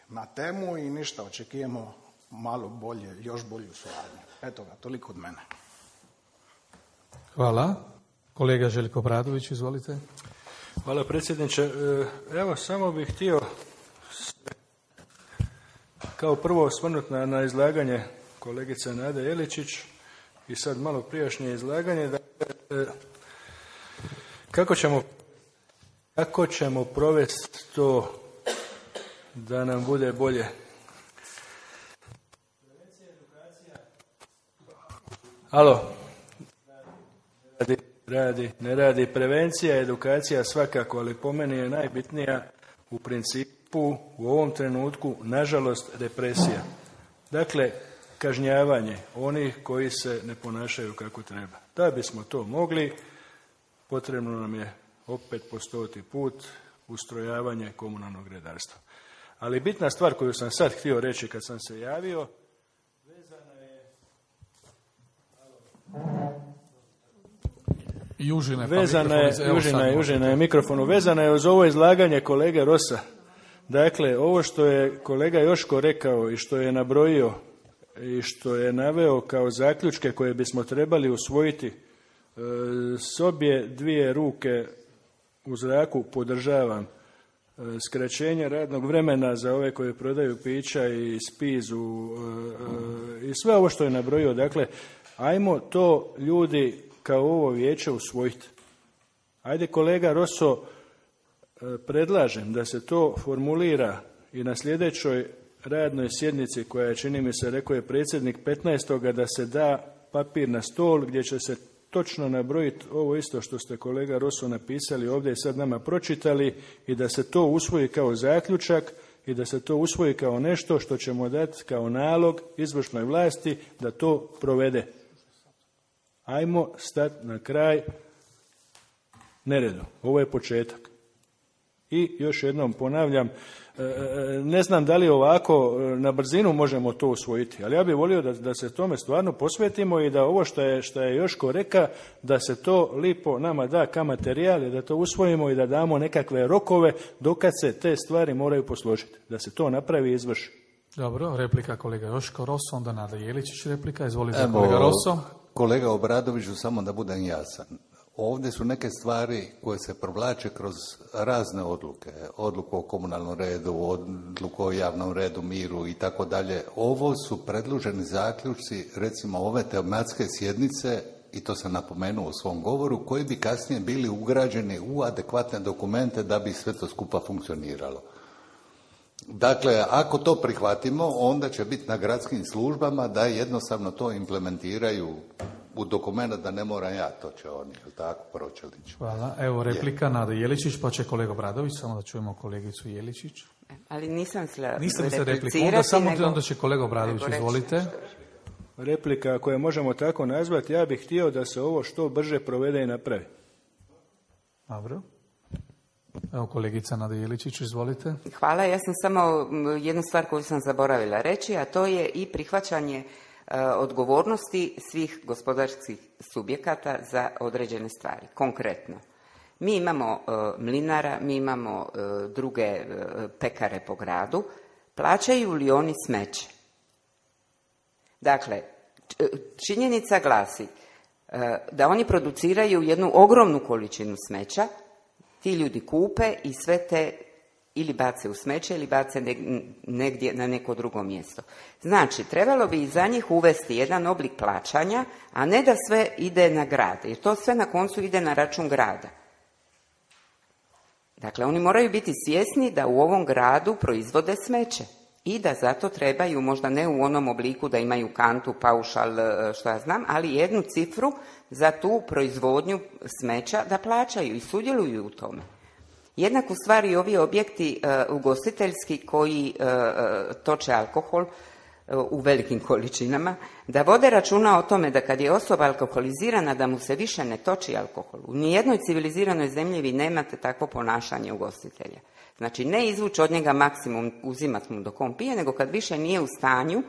na temu i ništa, očekujemo malo bolje, još bolju suradnju. Eto ga, toliko od mene. Hvala. Kolega Željko Bradović, izvolite. Hvala predsjedniče. Evo, samo bih htio kao prvo osvrnuti na izlaganje kolegice Nade Jeličić i sad malo prijašnje izlaganje. Kako ćemo provesti to da nam bude bolje? Alo? Ne radi. Prevencija, edukacija svakako, ali po meni je najbitnija u principu u ovom trenutku, nažalost, represija. Dakle, kažnjavanje onih koji se ne ponašaju kako treba. Da bismo to mogli, potrebno nam je opet po 100. put ustrojavanje komunalnog redarstva. Ali bitna stvar koju sam sad htio reći kad sam se javio, vezana je... Južina je mikrofonu. Vezana je uz ovo izlaganje kolege Rosa. Dakle, ovo što je kolega Joško rekao i što je nabrojio i što je naveo kao zaključke koje bismo trebali usvojiti, s obje dvije ruke u zraku podržavam. Skraćenje radnog vremena za ove koji prodaju pića i spizu i sve ovo što je nabrojio. Dakle, ajmo to ljudi kao ovo vijeće usvojiti. Ajde, kolega Roso, predlažem da se to formulira i na sljedećoj radnoj sjednici koja je, čini mi se, rekao je predsjednik 15. da se da papir na stol gdje će se točno nabrojiti ovo isto što ste, kolega Roso, napisali ovdje i sad nama pročitali i da se to usvoji kao zaključak i da se to usvoji kao nešto što ćemo dati kao nalog izvršnoj vlasti da to provede. Ajmo stati na kraj neredu. Ovo je početak. I još jednom ponavljam, ne znam da li ovako na brzinu možemo to usvojiti, ali ja bih volio da se tome stvarno posvetimo i da ovo što je Joško reka, da se to lipo nama da kao materijal i da to usvojimo i da damo nekakve rokove dokad se te stvari moraju posložiti. Da se to napravi i izvrši. Dobro, replika kolega Joško Rosso, onda Nada Jeličić replika. Izvolite kolega Rosso. Kolega Obradoviću, samo da budem jasan. Ovdje su neke stvari koje se provlače kroz razne odluke. Odluku o komunalnom redu, odluku o javnom redu, miru i tako dalje. Ovo su predloženi zaključci, recimo ove tematske sjednice, i to sam napomenuo u svom govoru, koji bi kasnije bili ugrađeni u adekvatne dokumente da bi sve to skupa funkcioniralo. Dakle, ako to prihvatimo, onda će biti na gradskim službama da jednostavno to implementiraju u dokumentu, da ne moram ja, to će oni, jel tako, Pročelić. Hvala. Evo replika Nada Jeličić, pa će kolega Bradović, samo da čujemo kolegicu Jeličić. Ali nisam Niste mi se repliku, onda samo onda će kolega Bradović, izvolite. Replika, ako je možemo tako nazvati, ja bih htio da se ovo što brže provede i napravi. Dobro. Evo kolegica Nada Jeličić, izvolite. Hvala, ja sam samo jednu stvar koju sam zaboravila reći, a to je i prihvaćanje odgovornosti svih gospodarskih subjekata za određene stvari. Konkretno, mi imamo mlinara, mi imamo druge pekare po gradu, plaćaju li oni smeće? Dakle, činjenica glasi da oni produciraju jednu ogromnu količinu smeća, ti ljudi kupe i sve te ili bace u smeće ili bace negdje na neko drugo mjesto. Znači, trebalo bi i za njih uvesti jedan oblik plaćanja, a ne da sve ide na grad, jer to sve na koncu ide na račun grada. Dakle, oni moraju biti svjesni da u ovom gradu proizvode smeće i da zato trebaju, možda ne u onom obliku da imaju kantu, paušal, što ja znam, ali jednu cifru za tu proizvodnju smeća da plaćaju i sudjeluju u tome. Jednako stvari i ovi objekti ugostiteljski koji toče alkohol u velikim količinama, da vode računa o tome da kad je osoba alkoholizirana da mu se više ne toči alkohol. U nijednoj civiliziranoj zemlji vi nemate takvo ponašanje ugostitelja. Znači, ne izvući od njega maksimum, uzimati mu dok on pije, nego kad više nije u stanju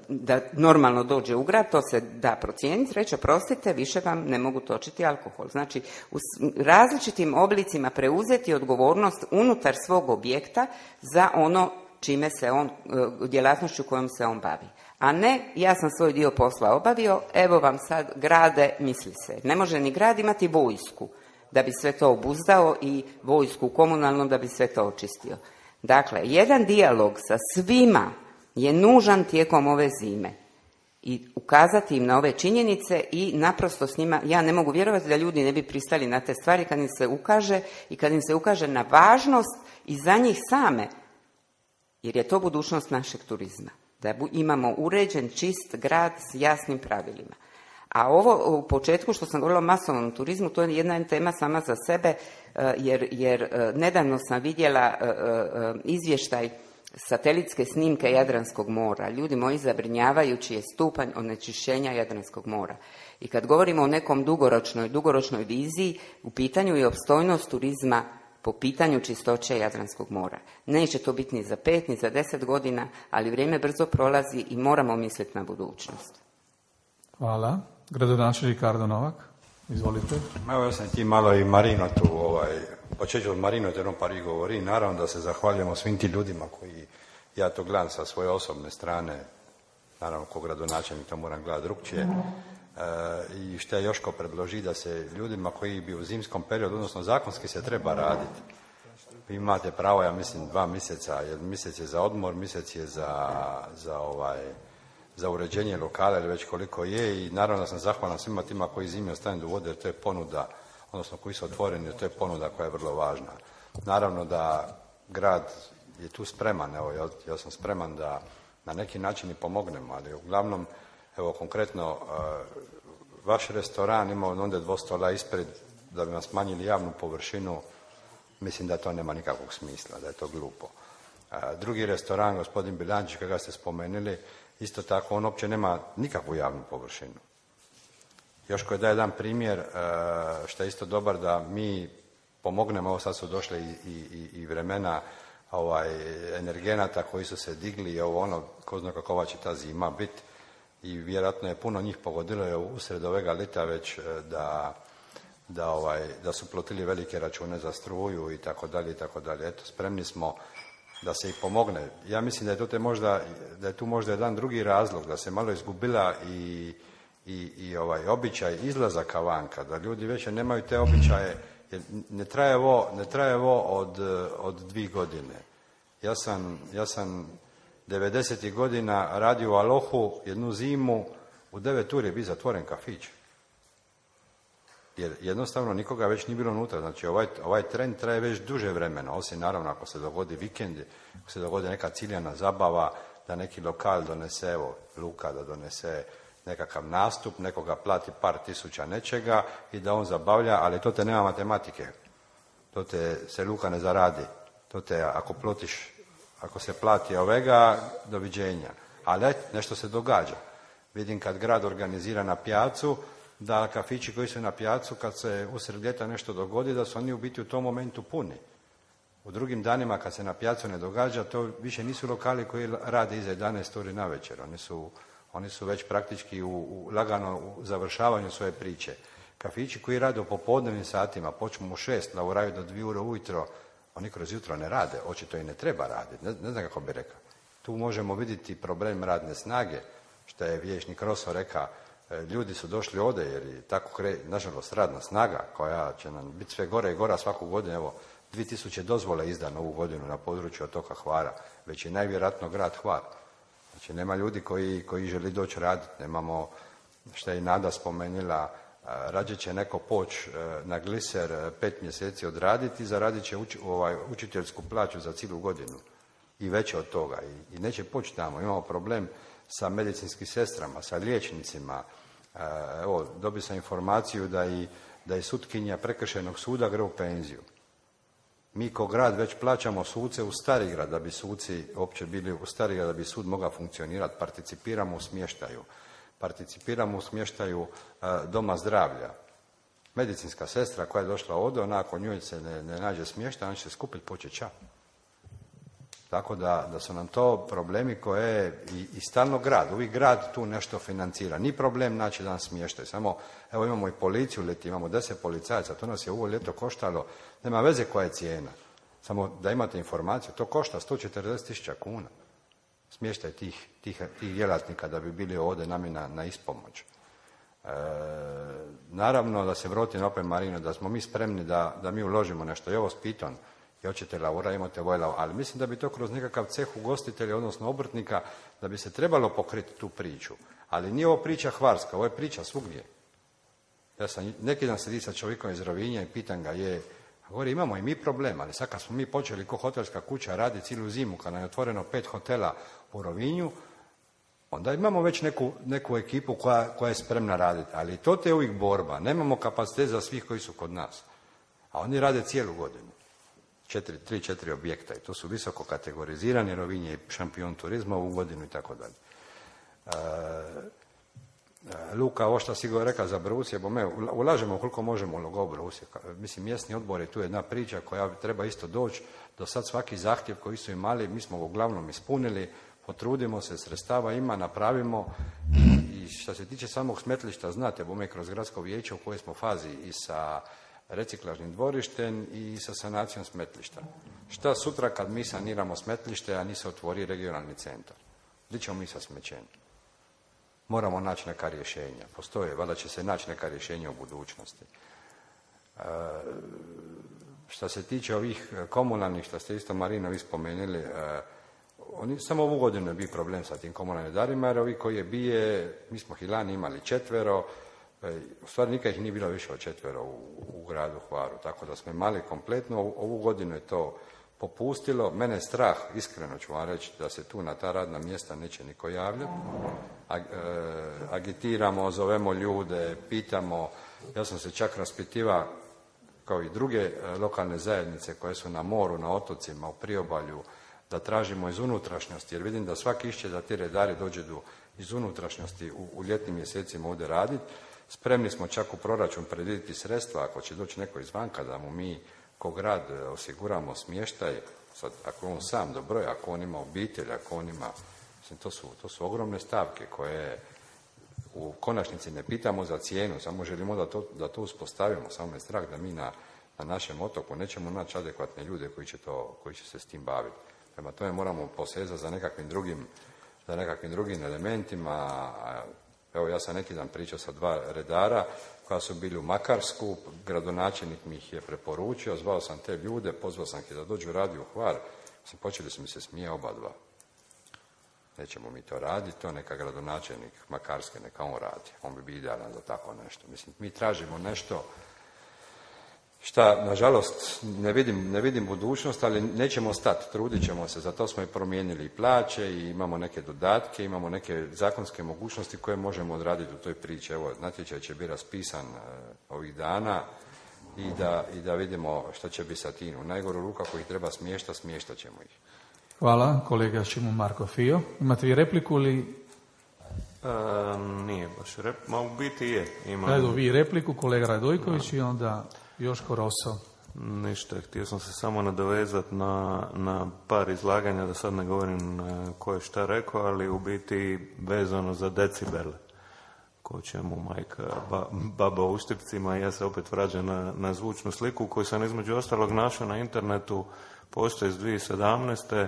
da normalno dođe u grad, to se da procijeniti, reći, oprostite, više vam ne mogu točiti alkohol. Znači, u različitim oblicima preuzeti odgovornost unutar svog objekta za ono čime se on, djelatnošću kojom se on bavi. A ne, ja sam svoj dio posla obavio, evo vam sad grade, misli se. Ne može ni grad imati vojsku da bi sve to obuzdao i vojsku komunalnu da bi sve to očistio. Dakle, jedan dijalog sa svima je nužan tijekom ove zime i ukazati im na ove činjenice i naprosto s njima, ja ne mogu vjerovati da ljudi ne bi pristali na te stvari kad im se ukaže i kad im se ukaže na važnost i za njih same, jer je to budućnost našeg turizma, da imamo uređen, čist grad s jasnim pravilima. A ovo u početku što sam govorila o masovnom turizmu, to je jedna tema sama za sebe, jer nedavno sam vidjela izvještaj satelitske snimke Jadranskog mora. Ljudi moji, zabrinjavajući je stupanj onečišćenja Jadranskog mora. I kad govorimo o nekom dugoročnoj viziji, u pitanju je opstojnost turizma po pitanju čistoće Jadranskog mora. Neće to biti ni za 5, ni za 10 godina, ali vrijeme brzo prolazi i moramo misliti na budućnost. Hvala. Gradonačelnik Ricardo Novak, izvolite. Evo, ja sam ti malo i Marino tu, počeću od Marino, jer on pari govori. Naravno da se zahvaljujemo svim tim ljudima koji, ja to gledam sa svoje osobne strane, naravno ko gradonačelnik to moram gledati drugčije. I što je Joško predloži da se ljudima koji bi u zimskom periodu, odnosno zakonski se treba raditi. Vi imate pravo, ja mislim, 2 mjeseca, jer mjesec je za odmor, mjesec je za uređenje lokala ili već koliko je, i naravno da sam zahvalan svima tima koji zimi ostane do vode, jer to je ponuda, odnosno koji su otvoreni, jer to je ponuda koja je vrlo važna. Naravno da grad je tu spreman, evo ja sam spreman da na neki način i pomognemo, ali uglavnom, evo konkretno, vaš restoran ima onda 2 stola ispred da bi vam smanjili javnu površinu, mislim da to nema nikakvog smisla, da je to glupo. Drugi restoran, gospodin Bilančić, kada ste spomenuli, isto tako, on uopće nema nikakvu javnu površinu. Još koji daje jedan primjer, što je isto dobar, da mi pomognemo, ovo sad su došle i vremena energenata koji su se digli i ovo ono, ko zna kakova će ta zima biti, i vjerojatno je puno njih pogodilo usred ovega lita već da su plotili velike račune za struju i tako dalje i tako dalje. Eto, spremni smo da se i pomogne. Ja mislim da je tu možda jedan drugi razlog, da se malo izgubila i običaj izlazaka vanka, da ljudi već nemaju te običaje, jer ne traje ovo od 2 godine. Ja sam 90. godina radio u Alohu jednu zimu, u 9 uri je bio zatvoren kafić. Jer jednostavno nikoga već nije bilo unutra. Znači ovaj trend traje već duže vremena, osim naravno ako se dogodi vikend, ako se dogodi neka ciljana zabava, da neki lokal donese, evo Luka da donese nekakav nastup, nekoga plati par tisuća nečega i da on zabavlja, ali to te nema matematike. To te se Luka ne zaradi. To te ako se plati ovega, doviđenja. Ali nešto se događa. Vidim kad grad organizira na pijacu, da kafići koji su na pijacu, kad se usred ljeta nešto dogodi, da su oni u biti u tom momentu puni. U drugim danima kad se na pijacu ne događa, to više nisu lokali koji rade iza 11 uri na večer. Oni su već praktički lagano u završavanju svoje priče. Kafići koji rade u popodnevnim satima, počnu u 6, lauraju do 2 ure ujutro, oni kroz jutro ne rade, očito i ne treba raditi, ne znam kako bi rekao. Tu možemo vidjeti problem radne snage, što je vijećnik Roso rekao, ljudi su došli ovdje jer je tako nažalost radna snaga koja će nam biti sve gore i gora svaku godinu. Evo, 2000 dozvole izdano ovu godinu na području otoka Hvara, već je najvjerojatno grad Hvar. Znači nema ljudi koji želi doći raditi, nemamo, što je i Nada spomenula, rađe će neko poći na gliser 5 mjeseci odraditi i zaradit će učiteljsku plaću za cijelu godinu i veće od toga i neće poći tamo. Imamo problem sa medicinskim sestrama, sa liječnicima. Evo, dobio sam informaciju da je sutkinja prekršajnog suda gre u penziju. Mi ko grad već plaćamo suce u Starigrad da bi suci uopće bili u Starigrad da bi sud mogao funkcionirati. Participiramo u smještaju doma zdravlja. Medicinska sestra koja je došla ovdje, ona ako njoj se ne nađe smještaj, ona će se skupiti početi ča. Tako da su nam to problemi koje i stalno grad, uvijek grad tu nešto financira. Ni problem naći dan smještaj, samo evo imamo i policiju ljeti, imamo 10 policajaca, to nas je ovo ljeto koštalo, nema veze koja je cijena. Samo da imate informaciju, to košta 140.000 kuna. Smještaj tih djelatnika da bi bili ovdje nami na ispomoć. Naravno da se vratim opet Marino, da smo mi spremni da mi uložimo nešto. I ovo s Piton, i hoćete Laura, imate Vojla, ali mislim da bi to kroz nekakav ceh ugostitelja, odnosno obrtnika, da bi se trebalo pokriti tu priču. Ali nije ovo priča hvarska, ovo je priča svugdje. Ja sam neki dan sedi sa čovjekom iz Rovinja i pitam ga govori, imamo i mi problem, ali sad kad smo mi počeli ko hotelska kuća raditi cijelu zimu, kad nam je otvoreno 5 hotela u Rovinju, onda imamo već neku ekipu koja je spremna raditi. Ali to te uvijek borba. Nemamo kapacitet za svih koji su kod nas. A oni rade cijelu godinu. 3-4 objekta i to su visoko kategorizirani. Rovinje i šampion turizma u godinu i tako dalje. Luka, ovo što si go rekao za Brusje, ulažemo koliko možemo u Brusje. Mislim, mjesni odbor je tu jedna priča koja treba isto doći. Do sad svaki zahtjev koji su imali, mi smo uglavnom ispunili, potrudimo se, sredstava ima, napravimo. I što se tiče samog smetlišta, znate, bome kroz gradsko vijeće u kojoj smo fazi i sa reciklažnim dvorištem i sa sanacijom smetlišta. Šta sutra kad mi saniramo smetlište, a ni se otvori regionalni centar? Gdje ćemo mi sa smećenjem? Moramo naći neka rješenja. Postoje, valjda će se naći neka rješenja u budućnosti. Što se tiče ovih komunalnih, što ste isto Marino vi spomenuli, oni samo ovu godinu je bio problem sa tim komunalnim darima, jer ovi koji je bije, mi smo Hilani imali 4, u stvari nikad ih nije bilo više od 4 u gradu Hvaru, tako da smo imali kompletno, ovu godinu je to popustilo. Mene je strah, iskreno ću vam reći, da se tu na ta radna mjesta neće niko javljati. Agitiramo, zovemo ljude, pitamo. Ja sam se čak raspitiva, kao i druge lokalne zajednice koje su na moru, na otocima, u priobalju, da tražimo iz unutrašnjosti, jer vidim da svaki išće da ti redari dođu iz unutrašnjosti u ljetnim mjesecima ovdje raditi. Spremni smo čak u proračun predvidjeti sredstva, ako će doći neko izvanka, da mu mi ko grad osiguramo smještaj. Sad, ako on sam dobro, ako on ima obitelj, ako on ima... Mislim, to su ogromne stavke koje u konačnici ne pitamo za cijenu, samo želimo da to uspostavimo. Samo je strah da mi na našem otoku nećemo naći adekvatne ljude koji će se s tim baviti. Prema tome moramo posezati za nekakvim drugim elementima. Evo, ja sam neki dan pričao sa 2 redara koja su bili u Makarsku, gradonačelnik mi ih je preporučio, zvao sam te ljude, pozvao sam ih da dođu raditi u Hvar. Počeli su mi se smije oba dva. Nećemo mi to raditi, to neka gradonačelnik Makarske, neka on radi. On bi bio idealan za tako nešto. Mislim, mi tražimo nešto šta, nažalost, ne vidim budućnost, ali nećemo stati, trudit ćemo se. Zato smo i promijenili plaće i imamo neke dodatke, imamo neke zakonske mogućnosti koje možemo odraditi u toj priči. Evo, natječaj će biti raspisan ovih dana i da vidimo što će biti sa tim. U najgoru ruku, ako ih treba smještat ćemo ih. Hvala, kolega Šimon Marko Fio. Imate vi repliku ili... Nije baš replika, u biti je. Evo vi repliku, kolega Radojković i onda Joško Roso. Ništa, htio sam se samo nadovezati na par izlaganja, da sad ne govorim ko je šta rekao, ali u biti vezano za decibele. Ko će mu majka baba u Štipcima, ja se opet vraćam na zvučnu sliku koju sam između ostalog našao na internetu, postoji iz 2017.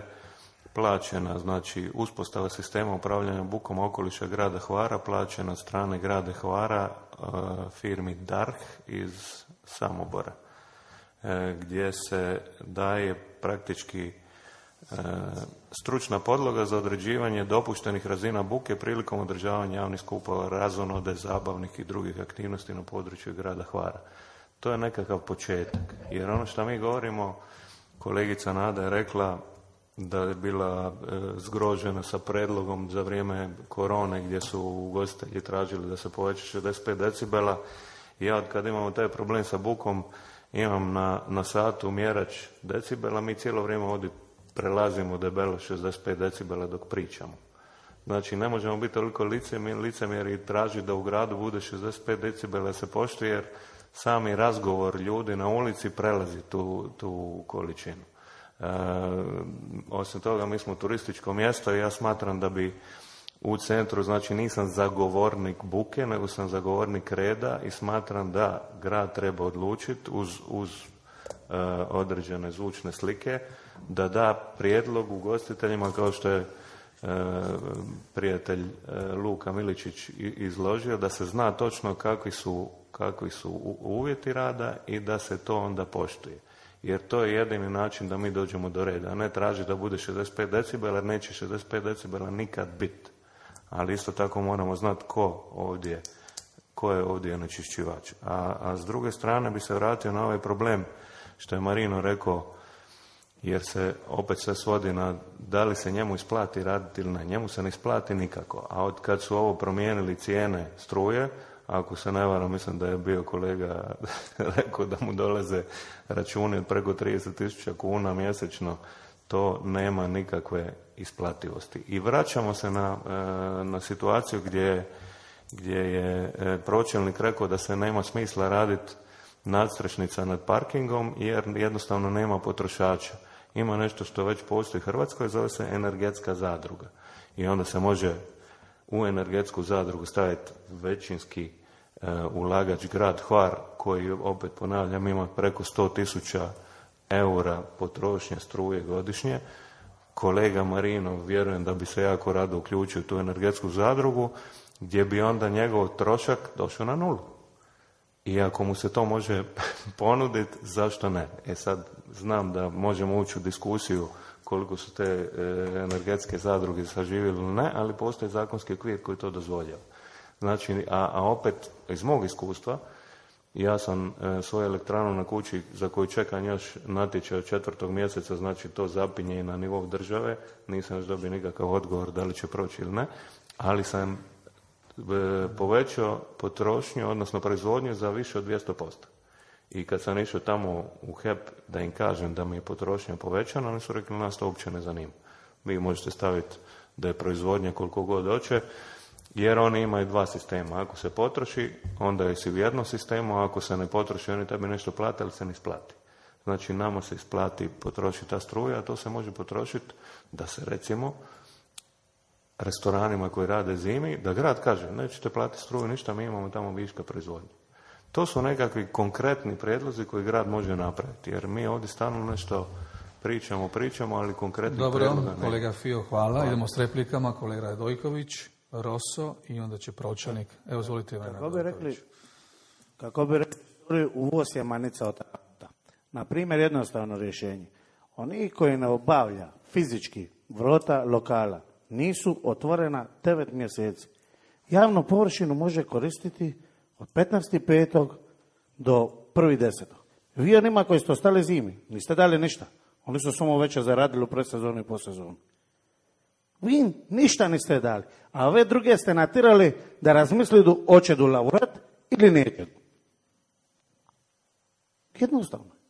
plaćena, znači uspostava sistema upravljanja bukom okoliša grada Hvara, plaćena od strane grada Hvara firmi DARH iz Samobora, gdje se daje praktički stručna podloga za određivanje dopuštenih razina buke prilikom održavanja javnih skupova, razonode, zabavnih i drugih aktivnosti na području grada Hvara. To je nekakav početak, jer ono što mi govorimo, kolegica Nada je rekla da je bila zgrožena sa predlogom za vrijeme korone gdje su ugostitelji tražili da se poveća 65 decibela. Ja od kad imamo taj problem sa bukom, imam na satu mjerač decibela, mi cijelo vrijeme ovdje prelazimo debelo 65 decibela dok pričamo. Znači, ne možemo biti toliko licemjeri i tražiti da u gradu bude 65 decibela se poštuje, jer sami razgovor ljudi na ulici prelazi tu količinu. Osim toga, mi smo turističko mjesto i ja smatram da bi u centru, znači nisam zagovornik buke, nego sam zagovornik reda i smatram da grad treba odlučiti uz određene zvučne slike da da prijedlog ugostiteljima, kao što je prijatelj Luka Miličić izložio, da se zna točno kakvi su uvjeti rada i da se to onda poštuje. Jer to je jedini način da mi dođemo do reda, a ne traži da bude 65 decibela, jer neće 65 decibela nikad biti. Ali isto tako moramo znati ko je ovdje onečišćivač. A s druge strane bi se vratio na ovaj problem što je Marino rekao, jer se opet sve svodi na da li se njemu isplati raditi ili ne. Njemu se ne isplati nikako. A od kad su ovo promijenili cijene struje, ako se ne varam, mislim da je bio kolega rekao da mu dolaze računi od preko 30.000 kuna mjesečno, to nema nikakve isplativosti. I vraćamo se na situaciju gdje je pročelnik rekao da se nema smisla raditi nadstrešnica nad parkingom jer jednostavno nema potrošača. Ima nešto što već postoji u Hrvatskoj, zove se energetska zadruga. I onda se može u energetsku zadrugu staviti većinski ulagač grad Hvar, koji, opet ponavljam, ima preko 100.000 eura potrošnje struje godišnje. Kolega Marino, vjerujem da bi se jako rado uključio u tu energetsku zadrugu, gdje bi onda njegov trošak došao na nulu. I ako mu se to može ponuditi, zašto ne? Sad znam da možemo ući u diskusiju koliko su te energetske zadruge saživjeli ili ne, ali postoji zakonski okvir koji to dozvoljava. Znači, a opet iz mog iskustva, ja sam svoju elektranu na kući za koju čekam još natječaj od 4. mjeseca, znači to zapinje i na nivou države, nisam još dobio nikakav odgovor da li će proći ili ne, ali sam povećao potrošnju, odnosno proizvodnju za više od 200%. I kad sam išao tamo u HEP da im kažem da mi je potrošnja povećana, oni su rekli, nas to uopće ne zanima. Vi možete staviti da je proizvodnja koliko god hoće, jer oni imaju 2 sistema. Ako se potroši, onda je si u jednom sistemu, a ako se ne potroši, oni tebi nešto plate, ali se ne isplati. Znači, nama se isplati potrošiti ta struja, a to se može potrošiti da se, recimo, restoranima koji rade zimi, da grad kaže, nećete platiti struju, ništa, mi imamo tamo viška proizvodnje. To su nekakvi konkretni prijedlozi koji grad može napraviti, jer mi ovdje stalno nešto pričamo, ali konkretno Dobro, kolega Fio, hvala. Idemo s replikama, kolega Radojković, Rosso i onda će Pročanik. Evo, izvolite. Kako bi rekli, uvoz je manica od auta. Na primjer, jednostavno rješenje. Oni koji ne obavlja fizički vrota lokala nisu otvorena 9 mjeseci. Javnu površinu može koristiti od 15.5. do 1.10. Vi onima koji ste ostali zimi, niste dali ništa. Oni su samo već zaradili u predsezonu i posezonu. Vi ništa niste dali. A ove druge ste natirali da razmislidu hoće du laurat ili neće. Jednostavno.